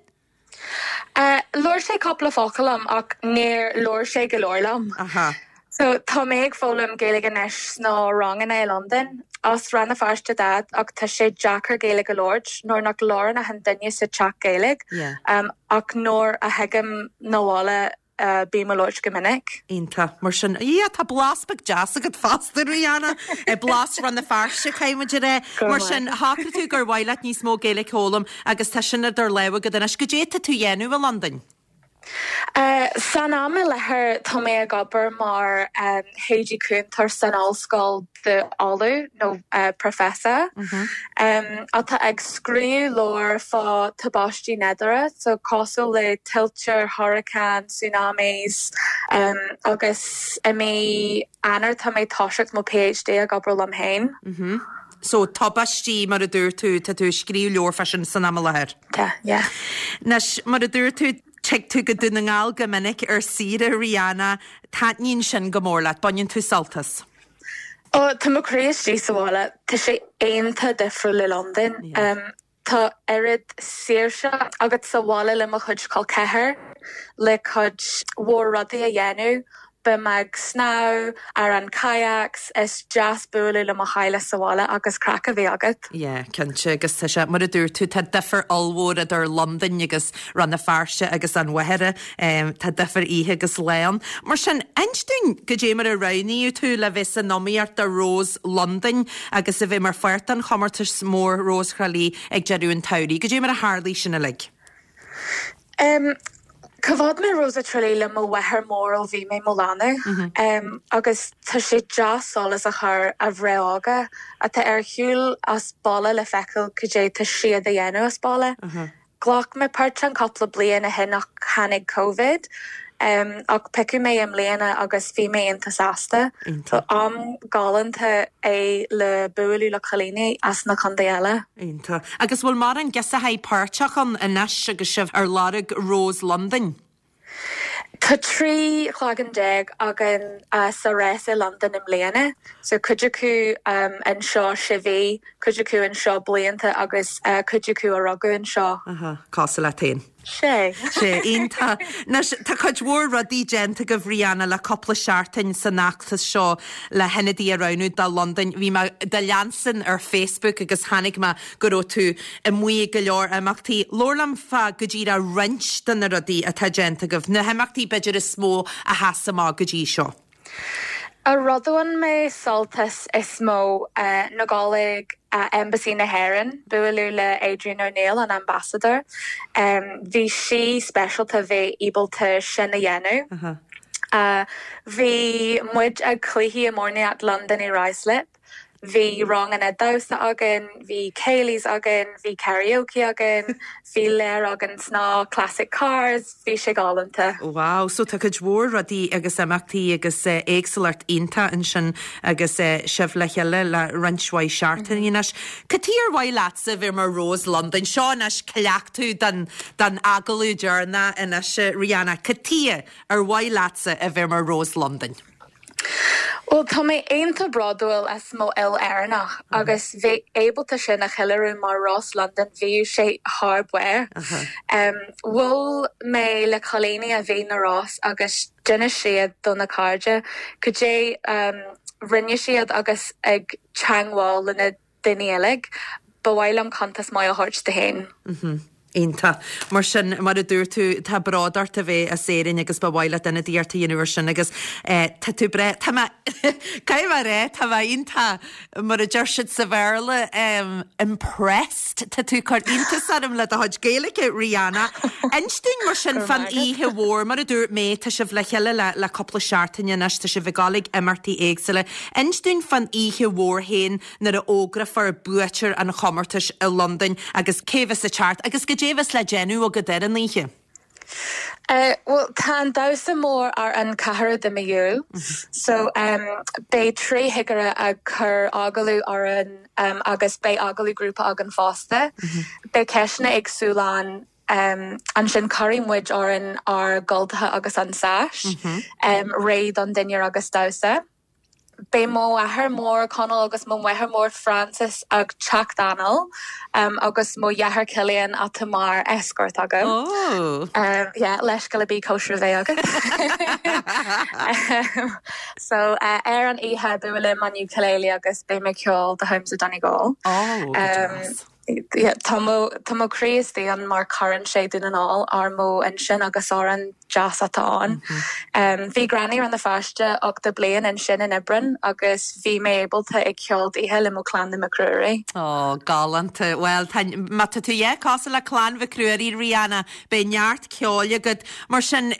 Uh, Labhair sé cúpla focal liom ach níor labhair sé go leor liom. Aha. So tá mé ag foghlaim Gaeilge anois sna ranganna i Londain as Rann na Feirste Dad ach tá sé deacair Gaeilge a labhairt nuair nach labhrann aon duine sa teach Gaeilge Yeah. um, ach nuair a thagaim na bhaile uh, bím ag labhairt go minic. Iontach mar sin yeah, tá blas beag deas agat fosta Rihanna e blas Rann na Feirste caithfidh muid é Go mar maith. sin shocraigh tú gur mhaith leat níos mó Gaeilge a fhoghlaim agus tá sin idir lámha agat anois cad é atá tú a dhéanamh i Londain. Uh, san am i láthair tá mé ag obair mar um, taighde cúntóir san ollscoil d'ollamh nó uh, professor mm -hmm. um, atá ag scríobh leabhar fá tubaistí nádúrtha, so cosúil le tuilte, hurricane, tsunamis um, agus i mí Eanáir tá mé toiseacht mo PhD ag obair liom féin. Mm -hmm. So tubaistí mar a dúirt tú tá tú ag scríobh leabhar fá sin san am i láthair. Tá, yeah. Anois mar a dúirt tú tig tú go Dún na nGall go minic ar saoire Rihanna, taitníonn sin go mór leat, baineann tú sult as. Ó tá mo chroí istigh sa bhaile, Tá sé iontach difriúil le Londain. Yeah. Um, tá oiread saoirse agat sa bhaile le mo chuid col ceathar le cuid mhór rudaí a dhéanamh, Bím ag snámh ar an kayaks is deas bualadh le mo theaghlach sa bhaile agus craic a bheith agat. Yeah, cinnte agus tá sé mar a dúirt tú tá difear ollmhór idir Londain agus Rann na Feirste agus an Mhachaire um, tá difear oíche agus lá ann. Mar sin inis dúinn cad é mar a roghnaíodh tú le bheith san iomaíocht do Rós Londain agus a bheith mar pháirt den chomórtas mór Rós Thrá Lí ag deireadh an tsamhraidh. Cad é mar a tharla sin uilig. Um, Choimhéad mé Rosa Trá Lí le mo mháthair mór ó bhí mé mo leanbh mm -hmm. um, agus tá sé deas solas a chur ar mhná óga atá ar shiúl as baile le feiceáil cad é tá siad a dhéanamh as baile. Mm -hmm. Ghlac mé páirt ann cúpla bliain ó shin ach tháinig Covid. Um, ach piocadh mé i mbliana agus bhí mé iontach sásta. Iontach. Am galánta é le bualadh le cailíní as na contaetha eile. Iontach. Agus bhfuil mórán girseachaí páirteach ann anois agus sibh ar lorg Rós Londain? Tá trí cloigeann déag againn uh, sa rás i Londain i mbliana, so cuid acu um, anseo sé mhí, cuid acu anseo blianta agus uh, cuid acu a rugadh anseo. Aha, cosúil leat féin. Sé. Sé iontach. Anois tá cuid mhór rudaí déanta agaibh Rihanna le cúpla seachtain san fheachtas seo le hionadaí a roghnú do Londain. Bhí mé do leanstan ar Facebook agus chonaic mé go raibh tú amuigh ag go leor imeachtaí. Labhair liom fá go díreach roinnt de na rudaí atá déanta agaibh. Na himeachtaí b'fhéidir is mó a sheas amach go dtí seo. A rud a bhain mé sult as is mó uh, ná dul ag uh, Embassy na hÉireann, bualadh le Adrian O'Neill an ambassador. Um, bhí sí speisialta bheith ábalta sin a dhéanamh. Uh -huh. Uh, bhí muid ag cluichí iománaíocht London i Ruislip. Bhí ranganna damhsa againn, bhí céilís againn, bhí karaoke againn, bhí léir againn sna classic cars, bhí sé galánta. Wow, so tá cuid mhór rudaí agus imeachtaí agus uh, éagsúlacht iontach ansin agus uh, sibh le chéile le roinnt mhaith seachtainí anois. Cad chuige ar mhaith leatsa bheith mar Rós Londain, seo anois cleachtadh don don agallamh deireanach anois Rihanna, Cad chuige ar mhaith leatsa a bheith mar Rós Londain. Well tá mé iontach bródúil as mo fhuil Éireannach agus bheith ábalta sin a cheiliúradh mar Rós London bhí sé thar barr. Um, Bhuail mé le cailíní a bhí na rás agus d'inis siad do na cairde, cad é um, rinne siad agus ag teagmháil le na daoine eile, ba mhaith liom cuntas maith a thabhairt dóibh féin. Mm Iontach. Mar sin mar a dúirt tú tá bród ort a bheith as Éirinn agus ba mhaith leat ionadaíocht a dhéanamh sin agus eh, tá tú bre Tá cai mar é tá iontach mar a deir siad sa Bhéarla um, impressed Tá tú chur iontas orm le do chuid Gaeilge Rihanna. Inis dúinn mar sin fan oíche mhór mar a dúirt mé tá sibh le chéile le le cúpla seachtain anois tá sibh ag dul ag imeachtaí éagsúla. Inis dúinn fan oíche mhór féin nuair a fhógrófar buaiteoir an chomórtais i Londain agus cé bheas ag teacht agus cad é bheas le déanamh agat ar an oíche. Uh, well tá an damhsa mór ar an ceathrú de mí Iúil, so um, beidh trí chigire ag cur agallamh orainn um, agus beidh agallamh grúpa againn fosta. Beidh ceisteanna éagsúla ann um, ansin cuirfidh muid orainn ár gcultacha agus an sash, um, réidh don dinnéar agus damhsa. Beidh mo athair mór Conall agus mo mháthair mór Francis ag teacht anall um, agus mo dheartháir Cillian atá mar escort agam. Oh. Um, yeah, leis go bí cóisir bheith agat. um, so uh, ar an oíche buailim an ukulele agus beidh mé ceol The Homes of Donegal. Oh, Um, yeah, tá mo tá mo chroí istigh ann mar cuireann sé Dún na nGall ar mo intinn agus amhrán deas atá ann. Um, bhí granny Rann na Feirste ochtó bliain ansin in Aibreán agus bhí mé ábalta ag ceol dithe le mo clann na Mac Ruairí. Ó galánta well má tá tú é cosúil le clann Mhic Ruairí Rihanna beidh neart ceoil agat mar sin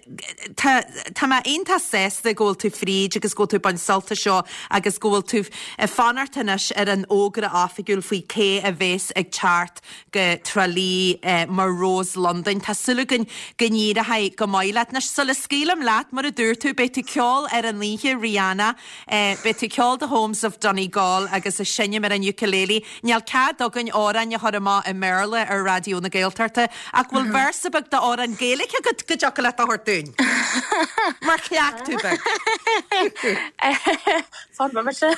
tá tá mé iontach sásta go bhfuil tú fríd agus go bhfuil tú baint sult as seo agus go bhfuil tú ag fanacht anois ar an fhógra oifigiúil faoi cé a bheas ag teacht go Trá Lí eh, mar Rós Londain. Tá súil againn go n-éireoidh go maith leat. Anois sula scaoilim leat mar a dúirt tú beidh tú ceol ar an oíche Rihanna, eh, beidh tú ceol The Homes of Donegal agus ag seinm ar an ukulele. Níl cead againn amhráin a chur amach i mBéarla ar Raidió na Gaeltachta ach bhfuil véarsa beag d'amhrán Gaeilge agat go dtiocfadh leat a thabhairt dúinn. Mar chleachtadh beag. Fan se.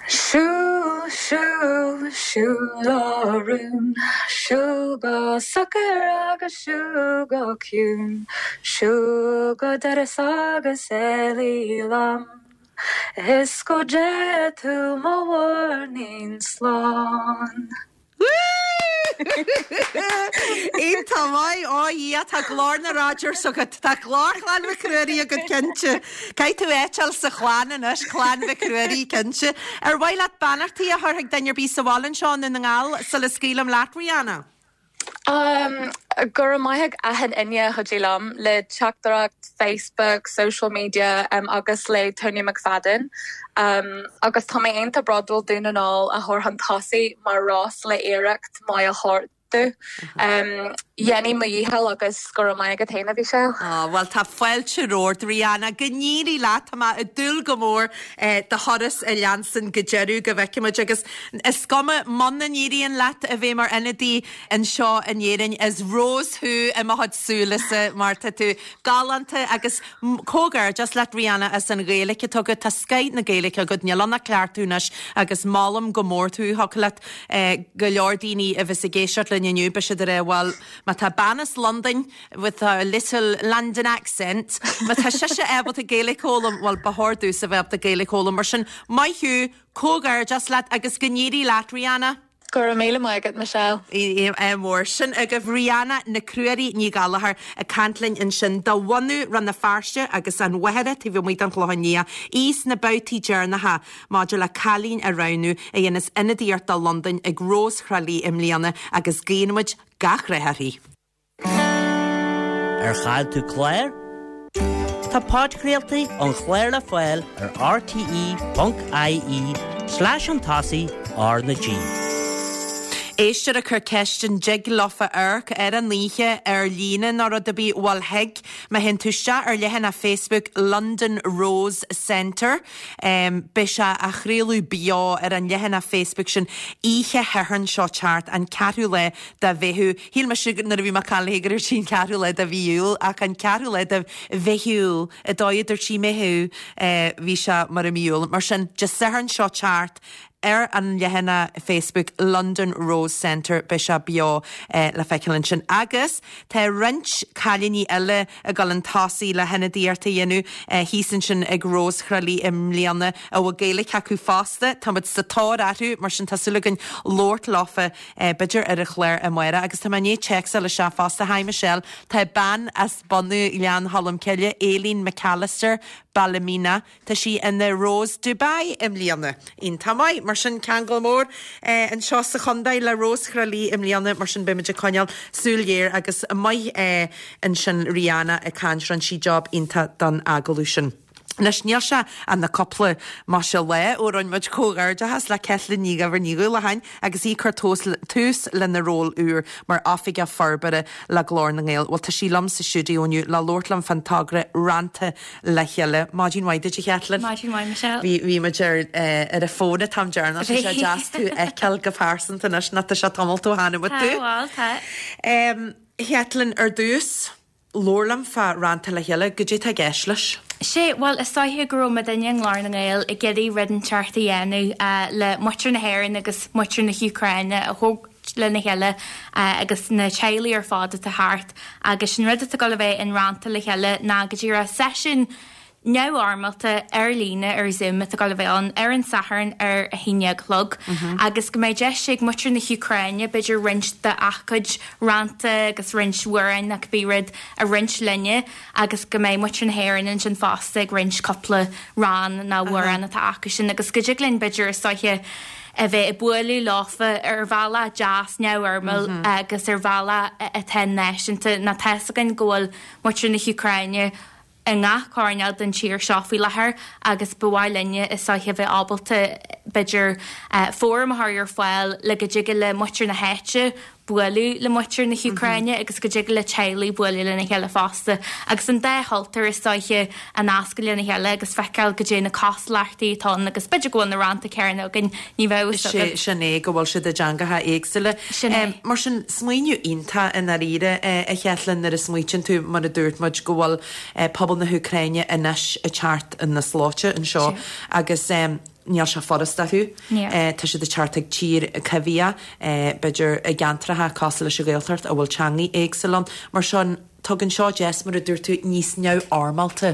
Siúil siúil siúil a rún, Siúil go socair agus siúil go ciúin, Siúil go doras agus éalaigh liom, Is go dté tú mo mhuirnín slán. Iontach maith ó Dhia tá glór na Rodgers agat tá glór chlann Mhic Ruairí agat cinnte. Caithfidh tú eiteall sa chlann anois clann Mhic Ruairí cinnte. Ar mhaith leat beannachtaí a chur ag duine ar bith sa bhaile anseo i nDún na nGall sula scaoilim leat Rihanna. Um, go raibh maith ag achan duine a chuidigh liom le teachtaireacht Facebook, social media um, agus le Tony McFadden. Um, agus tá mé iontach bródúil Dún na nGall a chur chun tosaigh mar rós le iarracht maith a thabhairt. Um, Dhein mé mo dhícheall agus go raibh maith agat féin a Mhichelle. Oh, well tá fáilte romhat Rihanna go n-éirí leat tá mé ag dúil go mór eh, do thuras a leanstan go deireadh go bhfeicfimid agus is cuma muna n-éiríonn leat a bheith mar ionadaí anseo in Éirinn is Rós thú i mo chuid súile mar tá tú galánta agus comhghairdeas leat Rihanna as an Ghaeilge atá agat tá scoth na Gaeilge agat níl ann ach cleachtadh anois agus molaim go mór tú thig leat eh, go leor daoine a bheas ag éisteacht linn inniu beidh siad ag rá bhuel má tá bean as Londain with a little London accent má tá sise ábalta Gaeilge a fhoghlaim bhuel ba chóir domhsa a bheith ábalta Gaeilge a fhoghlaim mar sin maith thú comhghairdeas leat agus go n-éirí leat Rihanna. Go raibh míle maith agat Michelle. É mór sin agaibh Rihanna na Cruairí Ní Ghallchóir ag caint linn ansin de bhunadh Rann na Feirste agus an Mhachaire taobh amuigh den Chlochán Liath í sna babhtaí deireanacha maidir le cailín a roghnú a dhéanfas ionadaíocht do Londain ag Rós Thrá Lí i mbliana agus guíonn muid gach rath uirthi. Ar chaill tú clár? Tá podchraoltaí an chláir le fáil ar rte.ie slash chun tosaigh R na G. Éisteoir ag cur ceist an dtig leofa amharc ar an oíche ar líne nó rud ar bith bhuel thig má théann tú isteach ar leathanach Facebook London Rose Centre. Um, Beidh sé á chraoladh beo ar an leathanach Facebook sin oíche Shathairn seo teacht an ceathrú lá de Mheitheamh. Shíl mise nuair a bhí mé ag caint léi go raibh sí an ceathrú lá de mhí Iúil ach an ceathrú lá de Mheitheamh i dóigh dúirt sí Meitheamh eh, bhí sé mar i mí Iúil. Mar sin Dé Sathairn seo teacht ar an leathanach Facebook London Rose Centre beidh sé beo eh, le feiceáil ansin. Agus tá roinnt cailíní eile ag dul chun tosaigh le hionadaíocht a dhéanamh eh, thíos ansin ag Rós Thrá Lí i mbliana a bhfuil Gaeilge acu fosta, Táimid sa tóir orthu mar sin tá súil againn labhairt leofa eh, b'fhéidir ar an chlár amárach agus tá mé i ndiaidh téacsáil isteach fosta Hi Michelle Tá bean as bunadh Ghleann Cholm Cille Aileen McAllister Ballymena Tá sí ina Rose Dubai i mbliana. Iontach maith mar sin ceangal mór eh, anseo sa chontae le Rós Thrá Lí i mbliana mar sin beimid ag coinneáil súil géar agus maith eh, ansin Rihanna ag caint rinne sí job iontach don agallamh sin. Anois níl sé ach na cúpla mar sé le ó rinne muid comhghairdeachas le Caitlín Ní Dhuibhir Ní Dhúlacháin agus í ag cur tús lena ról úr mar oifigeach forbartha le Glór na nGael. Bhuel tá sí liom sa stiúideo inniu le labhairt liom fán togra Rannta le chéile. Maidin mhaith duit a Chaitlín. Maidin mhaith Michelle. Bhí bhí muid ar eh, ar an bhfón an t-am deireanach sé deas tú a fheiceáil go pearsanta anois nach tá sé tamall ó chonaic muid tú. Tá tá. Um, Caitlín ar dtús, labhair liom fá Rannta le chéile, goidé tá i gceist leis. Sé bhuel is dóiche go raibh muidinne i nGlór na nGael ag iarraidh rud inteacht a dhéanamh uh, le muintir na hÉireann agus muintir na hÚcráine a thabhairt lena chéile uh, agus na teaghlaigh ar fad atá thart agus sin rud atá le bheith in Rannta le chéile ná go dtí seisiún neamhfhoirmeálta ar líne ar Zoom atá le bheith ann ar an Satharn ar a haon déag a chlog agus go mbeidh deis ag muintir na hÚcráine b'fhéidir roinnt de a gcuid rannta agus roinnt amhrán nach bí rud a roinnt linne agus go mbeidh muintir na hÉireann ansin fosta ag roinnt cúpla rann nó amhrán atá acu sin agus go dtig linn b'fhéidir is dóiche a bheith ag bualadh leofa ar bhealach deas neamhfhoirmiúil agus ar bhealach atá náisiúnta ná tá a fhios againn go bhfuil muintir na hÚcráine i ngach coirnéal den tír seo faoi láthair agus ba mhaith linne is dóiche bheith ábalta b'fhéidir fóram a chur ar fáil le go dtig le muintir na háite bualadh le muintir na hÚcráine agus go dtig le teaghlaigh bualadh lena chéile fosta. Agus an dá chultúr is dóiche a nascadh lena chéile agus feiceáil goidé na cosúlachtaí atá agus b'fhéidir go bhfuil na rannta céanna againn ní bheadh Sé sin é go bhfuil siad i dteangacha éagsúla. Sin é. Mar sin smaoineamh iontach i ndáiríre a Chaitlín nuair a smaoitíonn tú mar a dúirt muid go bhfuil pobal na hÚcráine anois ag teacht ina slóite anseo agus um, níl sé furasta acu. Tá siad ag teacht ag tír coimhthíoch b'fhéidir i gceantracha cosúil leis an Ghaeltacht a bhfuil teangaí éagsúla ann. Mar sin Tugann seo deis mar a dúirt tú níos neamhfhoirmeálta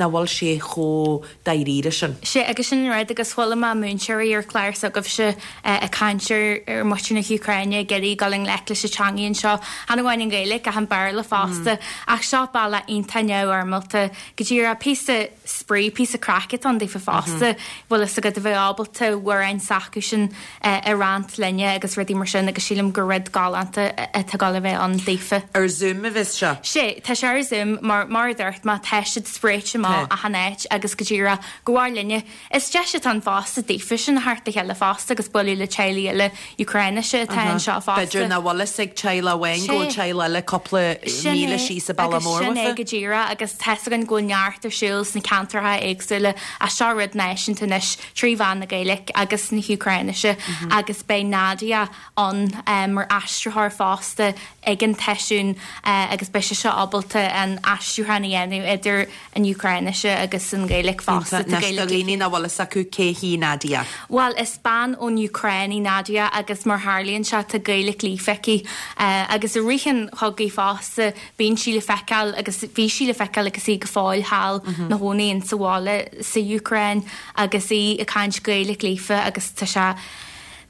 nach bhfuil sé chomh dáiríre sin. Sea, agus sin an rud agus chuala mé múinteoirí ar chlár s'agaibhse ag caint ar ar muintir na hÚcráine ag iarraidh dul i ngleic leis an teangaidh anseo, chan amháin an Ghaeilge ach an Béarla fosta, ach seo bealach iontach neamhfhoirmeálta go díreach píosa spraoi, píosa craic atá ann daofa fosta, bhfuil fhios agat a bheith ábalta amhráin s'acusan a roinnt linne agus rudaí mar sin agus sílim gur rud galánta atá ag dul a bheith ann daofa. Ar Zoom a bheas seo? Sea, tá sé ar Zoom mar, mar a dúirt mé, tá siad spréite amach achan áit agus go díreach go bhfearr linne. Is deis atá ann fosta daofa sin a theacht le chéile fosta agus bualadh le teaghlaigh eile Úcráinise atá anseo fosta. B'fhéidir nach bhfuil fhios ag teaghlach amháin go bhfuil teaghlach eile cúpla míle síos an bealach mór Sin é go díreach agus tá's againn go bhfuil neart ar siúl sna ceantracha éagsúla ach seo rud náisiúnta anois trí mheán na Gaeilge agus na hÚcráinise agus beidh Nadia ann mar aistritheoir fosta ag an tseisiún agus beidh sise ábalta an aistriúchán a dhéanamh idir an Úcráinise agus an Ghaeilge fosta. Tá Gaeilge. Do dhaoine nach bhfuil fhios acu cé hí Nadia? Bhuel, is bean ón Úcráin í Nadia agus mar tharlaíonn sé tá Gaeilge líofa aici agus i rith an chogaidh fosta bíonn sí le feiceáil agus bhí sí le feiceáil agus í go fóill thall 'na chónaí insa bhaile sa Úcráin agus í ag caint Gaeilge líofa agus tá sé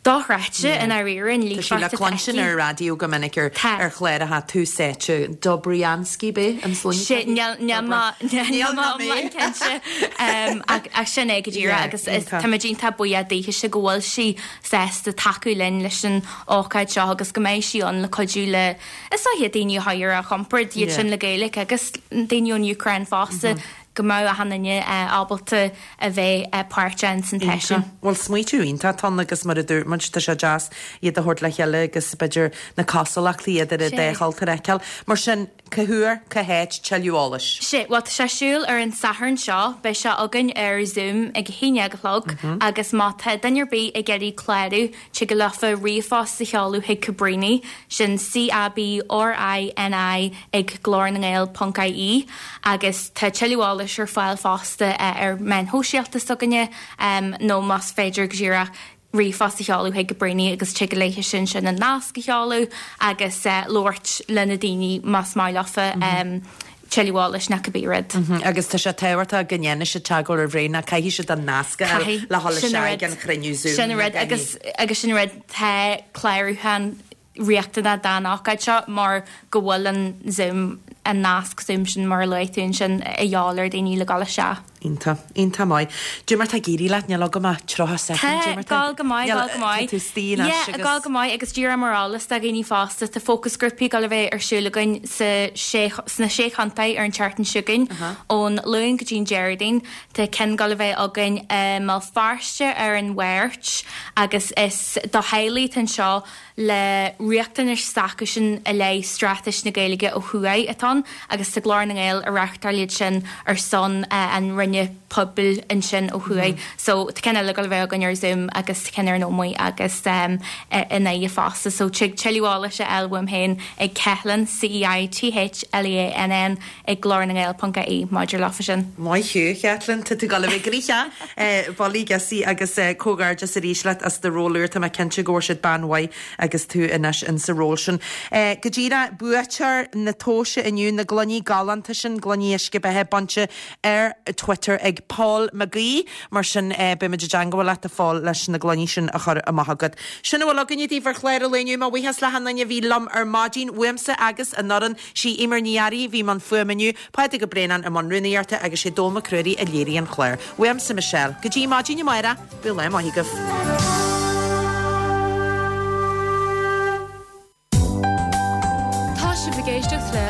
dochreidte i ndáiríre an Tá sí le líofacht atá cluinstin aici. ar an raidió go minic ar Tá. ar chláracha Tús Áite Dobriansky b'é an sloinne Sé aici? níl níl Dobra. mé níl Níl mé ná mé. iomlán cinnte um, ach, ach sin é go díreach Yeah, agus is iontach. tá muid iontach buíoch daoithe go bhfuil sí sásta tacú linn leis an ócáid seo agus go mbeidh sí ann le cuidiú le is dóiche daoine a chur ar a gcompord iad Yeah. sin le Gaeilge agus daoine ón Úcráin fosta go mbeadh achan duine ábalta a bheith páirteach san tseisiún. Bhuel smaoitiú iontach atá ann agus mar a dúirt muid tá sé deas iad a thabhairt le chéile agus b'fhéidir na cosúlachtaí idir an dá chultúr a fheiceáil. Mar sin cá huair, cá háit, tuilleadh eolais. Sea, bhuel tá sé ar siúl ar an Satharn seo, beidh sé againn ar Zoom ag a haon déag a chlog agus má tá duine ar bith ag iarraidh clárú, tig leofa ríomhphost a sheoladh chuig Cabrini, sin C-A-B-R-I-N-I ag glór na nGael ponc IE agus tá tuilleadh eolais ar fáil fosta ar meáin shóisialta s'againne nó más féidir go díreach ríomhphost a sheoladh chuig Cabrini agus tig léithe sin sin an nasc a sheoladh agus labhairt le na daoine más maith leofa tuilleadh eolais nó cibé rud. Agus tá sé tábhachtach go ndéanfaidh siad teagmháil roimh ré ná caithfidh siad an nasc a fháil le dhul isteach ag an chruinniú Zoom. Sin rud agus agus sin rud tá clárúchán riachtanach don ócáid seo mar go bhfuil an Zoom an nasc Zoom sin mar a luaigh tú ansin a dhíobháil ar daoine le dhul isteach. Iontach, iontach maith. Cad é mar tá ag éirí leat níl agam ach tríocha soicind, Tá, cad é mar tá gabháil go maith, níl gabháil go maith. tá tú istigh anois Yeah, agus gabháil go maith agus díreach mar eolas do dhaoine fosta tá fócasghrúpaí ag dul a bheith ar siúl againn sa sé sna sé chontae ar an tseachtain seo chugainn ón Luan go dtí an Déardaoin. Tá ceann ag dul a bheith againn i mBéal Feirste ar an Mháirt agus is do theaghlaigh atá anseo le riachtanais s'acusan i leith straitéis na Gaeilge ó thuaidh atá ann agus tá Glór na nGael ag reáchtáil iad sin ar son an Roinne Pobail ansin ó thuaidh. So tá ceann eile ag dul a bheith againn ar Zoom agus ceann ar an Ómaigh agus um, i nDoire fosta, so tig tuilleadh eolais a fháil uaim féin ag Ceithleann C-E-I-T-H-L-E-A-N-N ag glór na nGael.ie maidir leofa sin. Maith thú, Caitlin, tá tú ag dul a bheith gnoitheach Bolaí Gussie agus comhghairdeas arís leat as do ról úr tá mé cinnte go bhfuair siad bean mhaith agus tú anois in sa ról sin. Go díreach buaiteoir na tomhaise inniu na gloiní galánta sin gloiní uisce beatha bainte ar Twitter ag Paul McGee mar sin beimid i dteagmháil leat a Phóil leis na gloiní sin a chur amach agat. Sin a bhfuil againne daoibh ar chlár an lae inniu mo bhuíochas le hachan duine a bhí liom ar maidin uaimse agus an fhoireann sí Eimear Ní Fhearraigh bhí i mbun fuaime inniu, Pádraig Ó Braonáin i mbun rúnaíochta agus sé Dónall Mac Ruairí a léirigh an clár. Uaimse Michelle, go dtí maidin amárach, bíodh lá maith agaibh. Tá sibh ag éisteacht le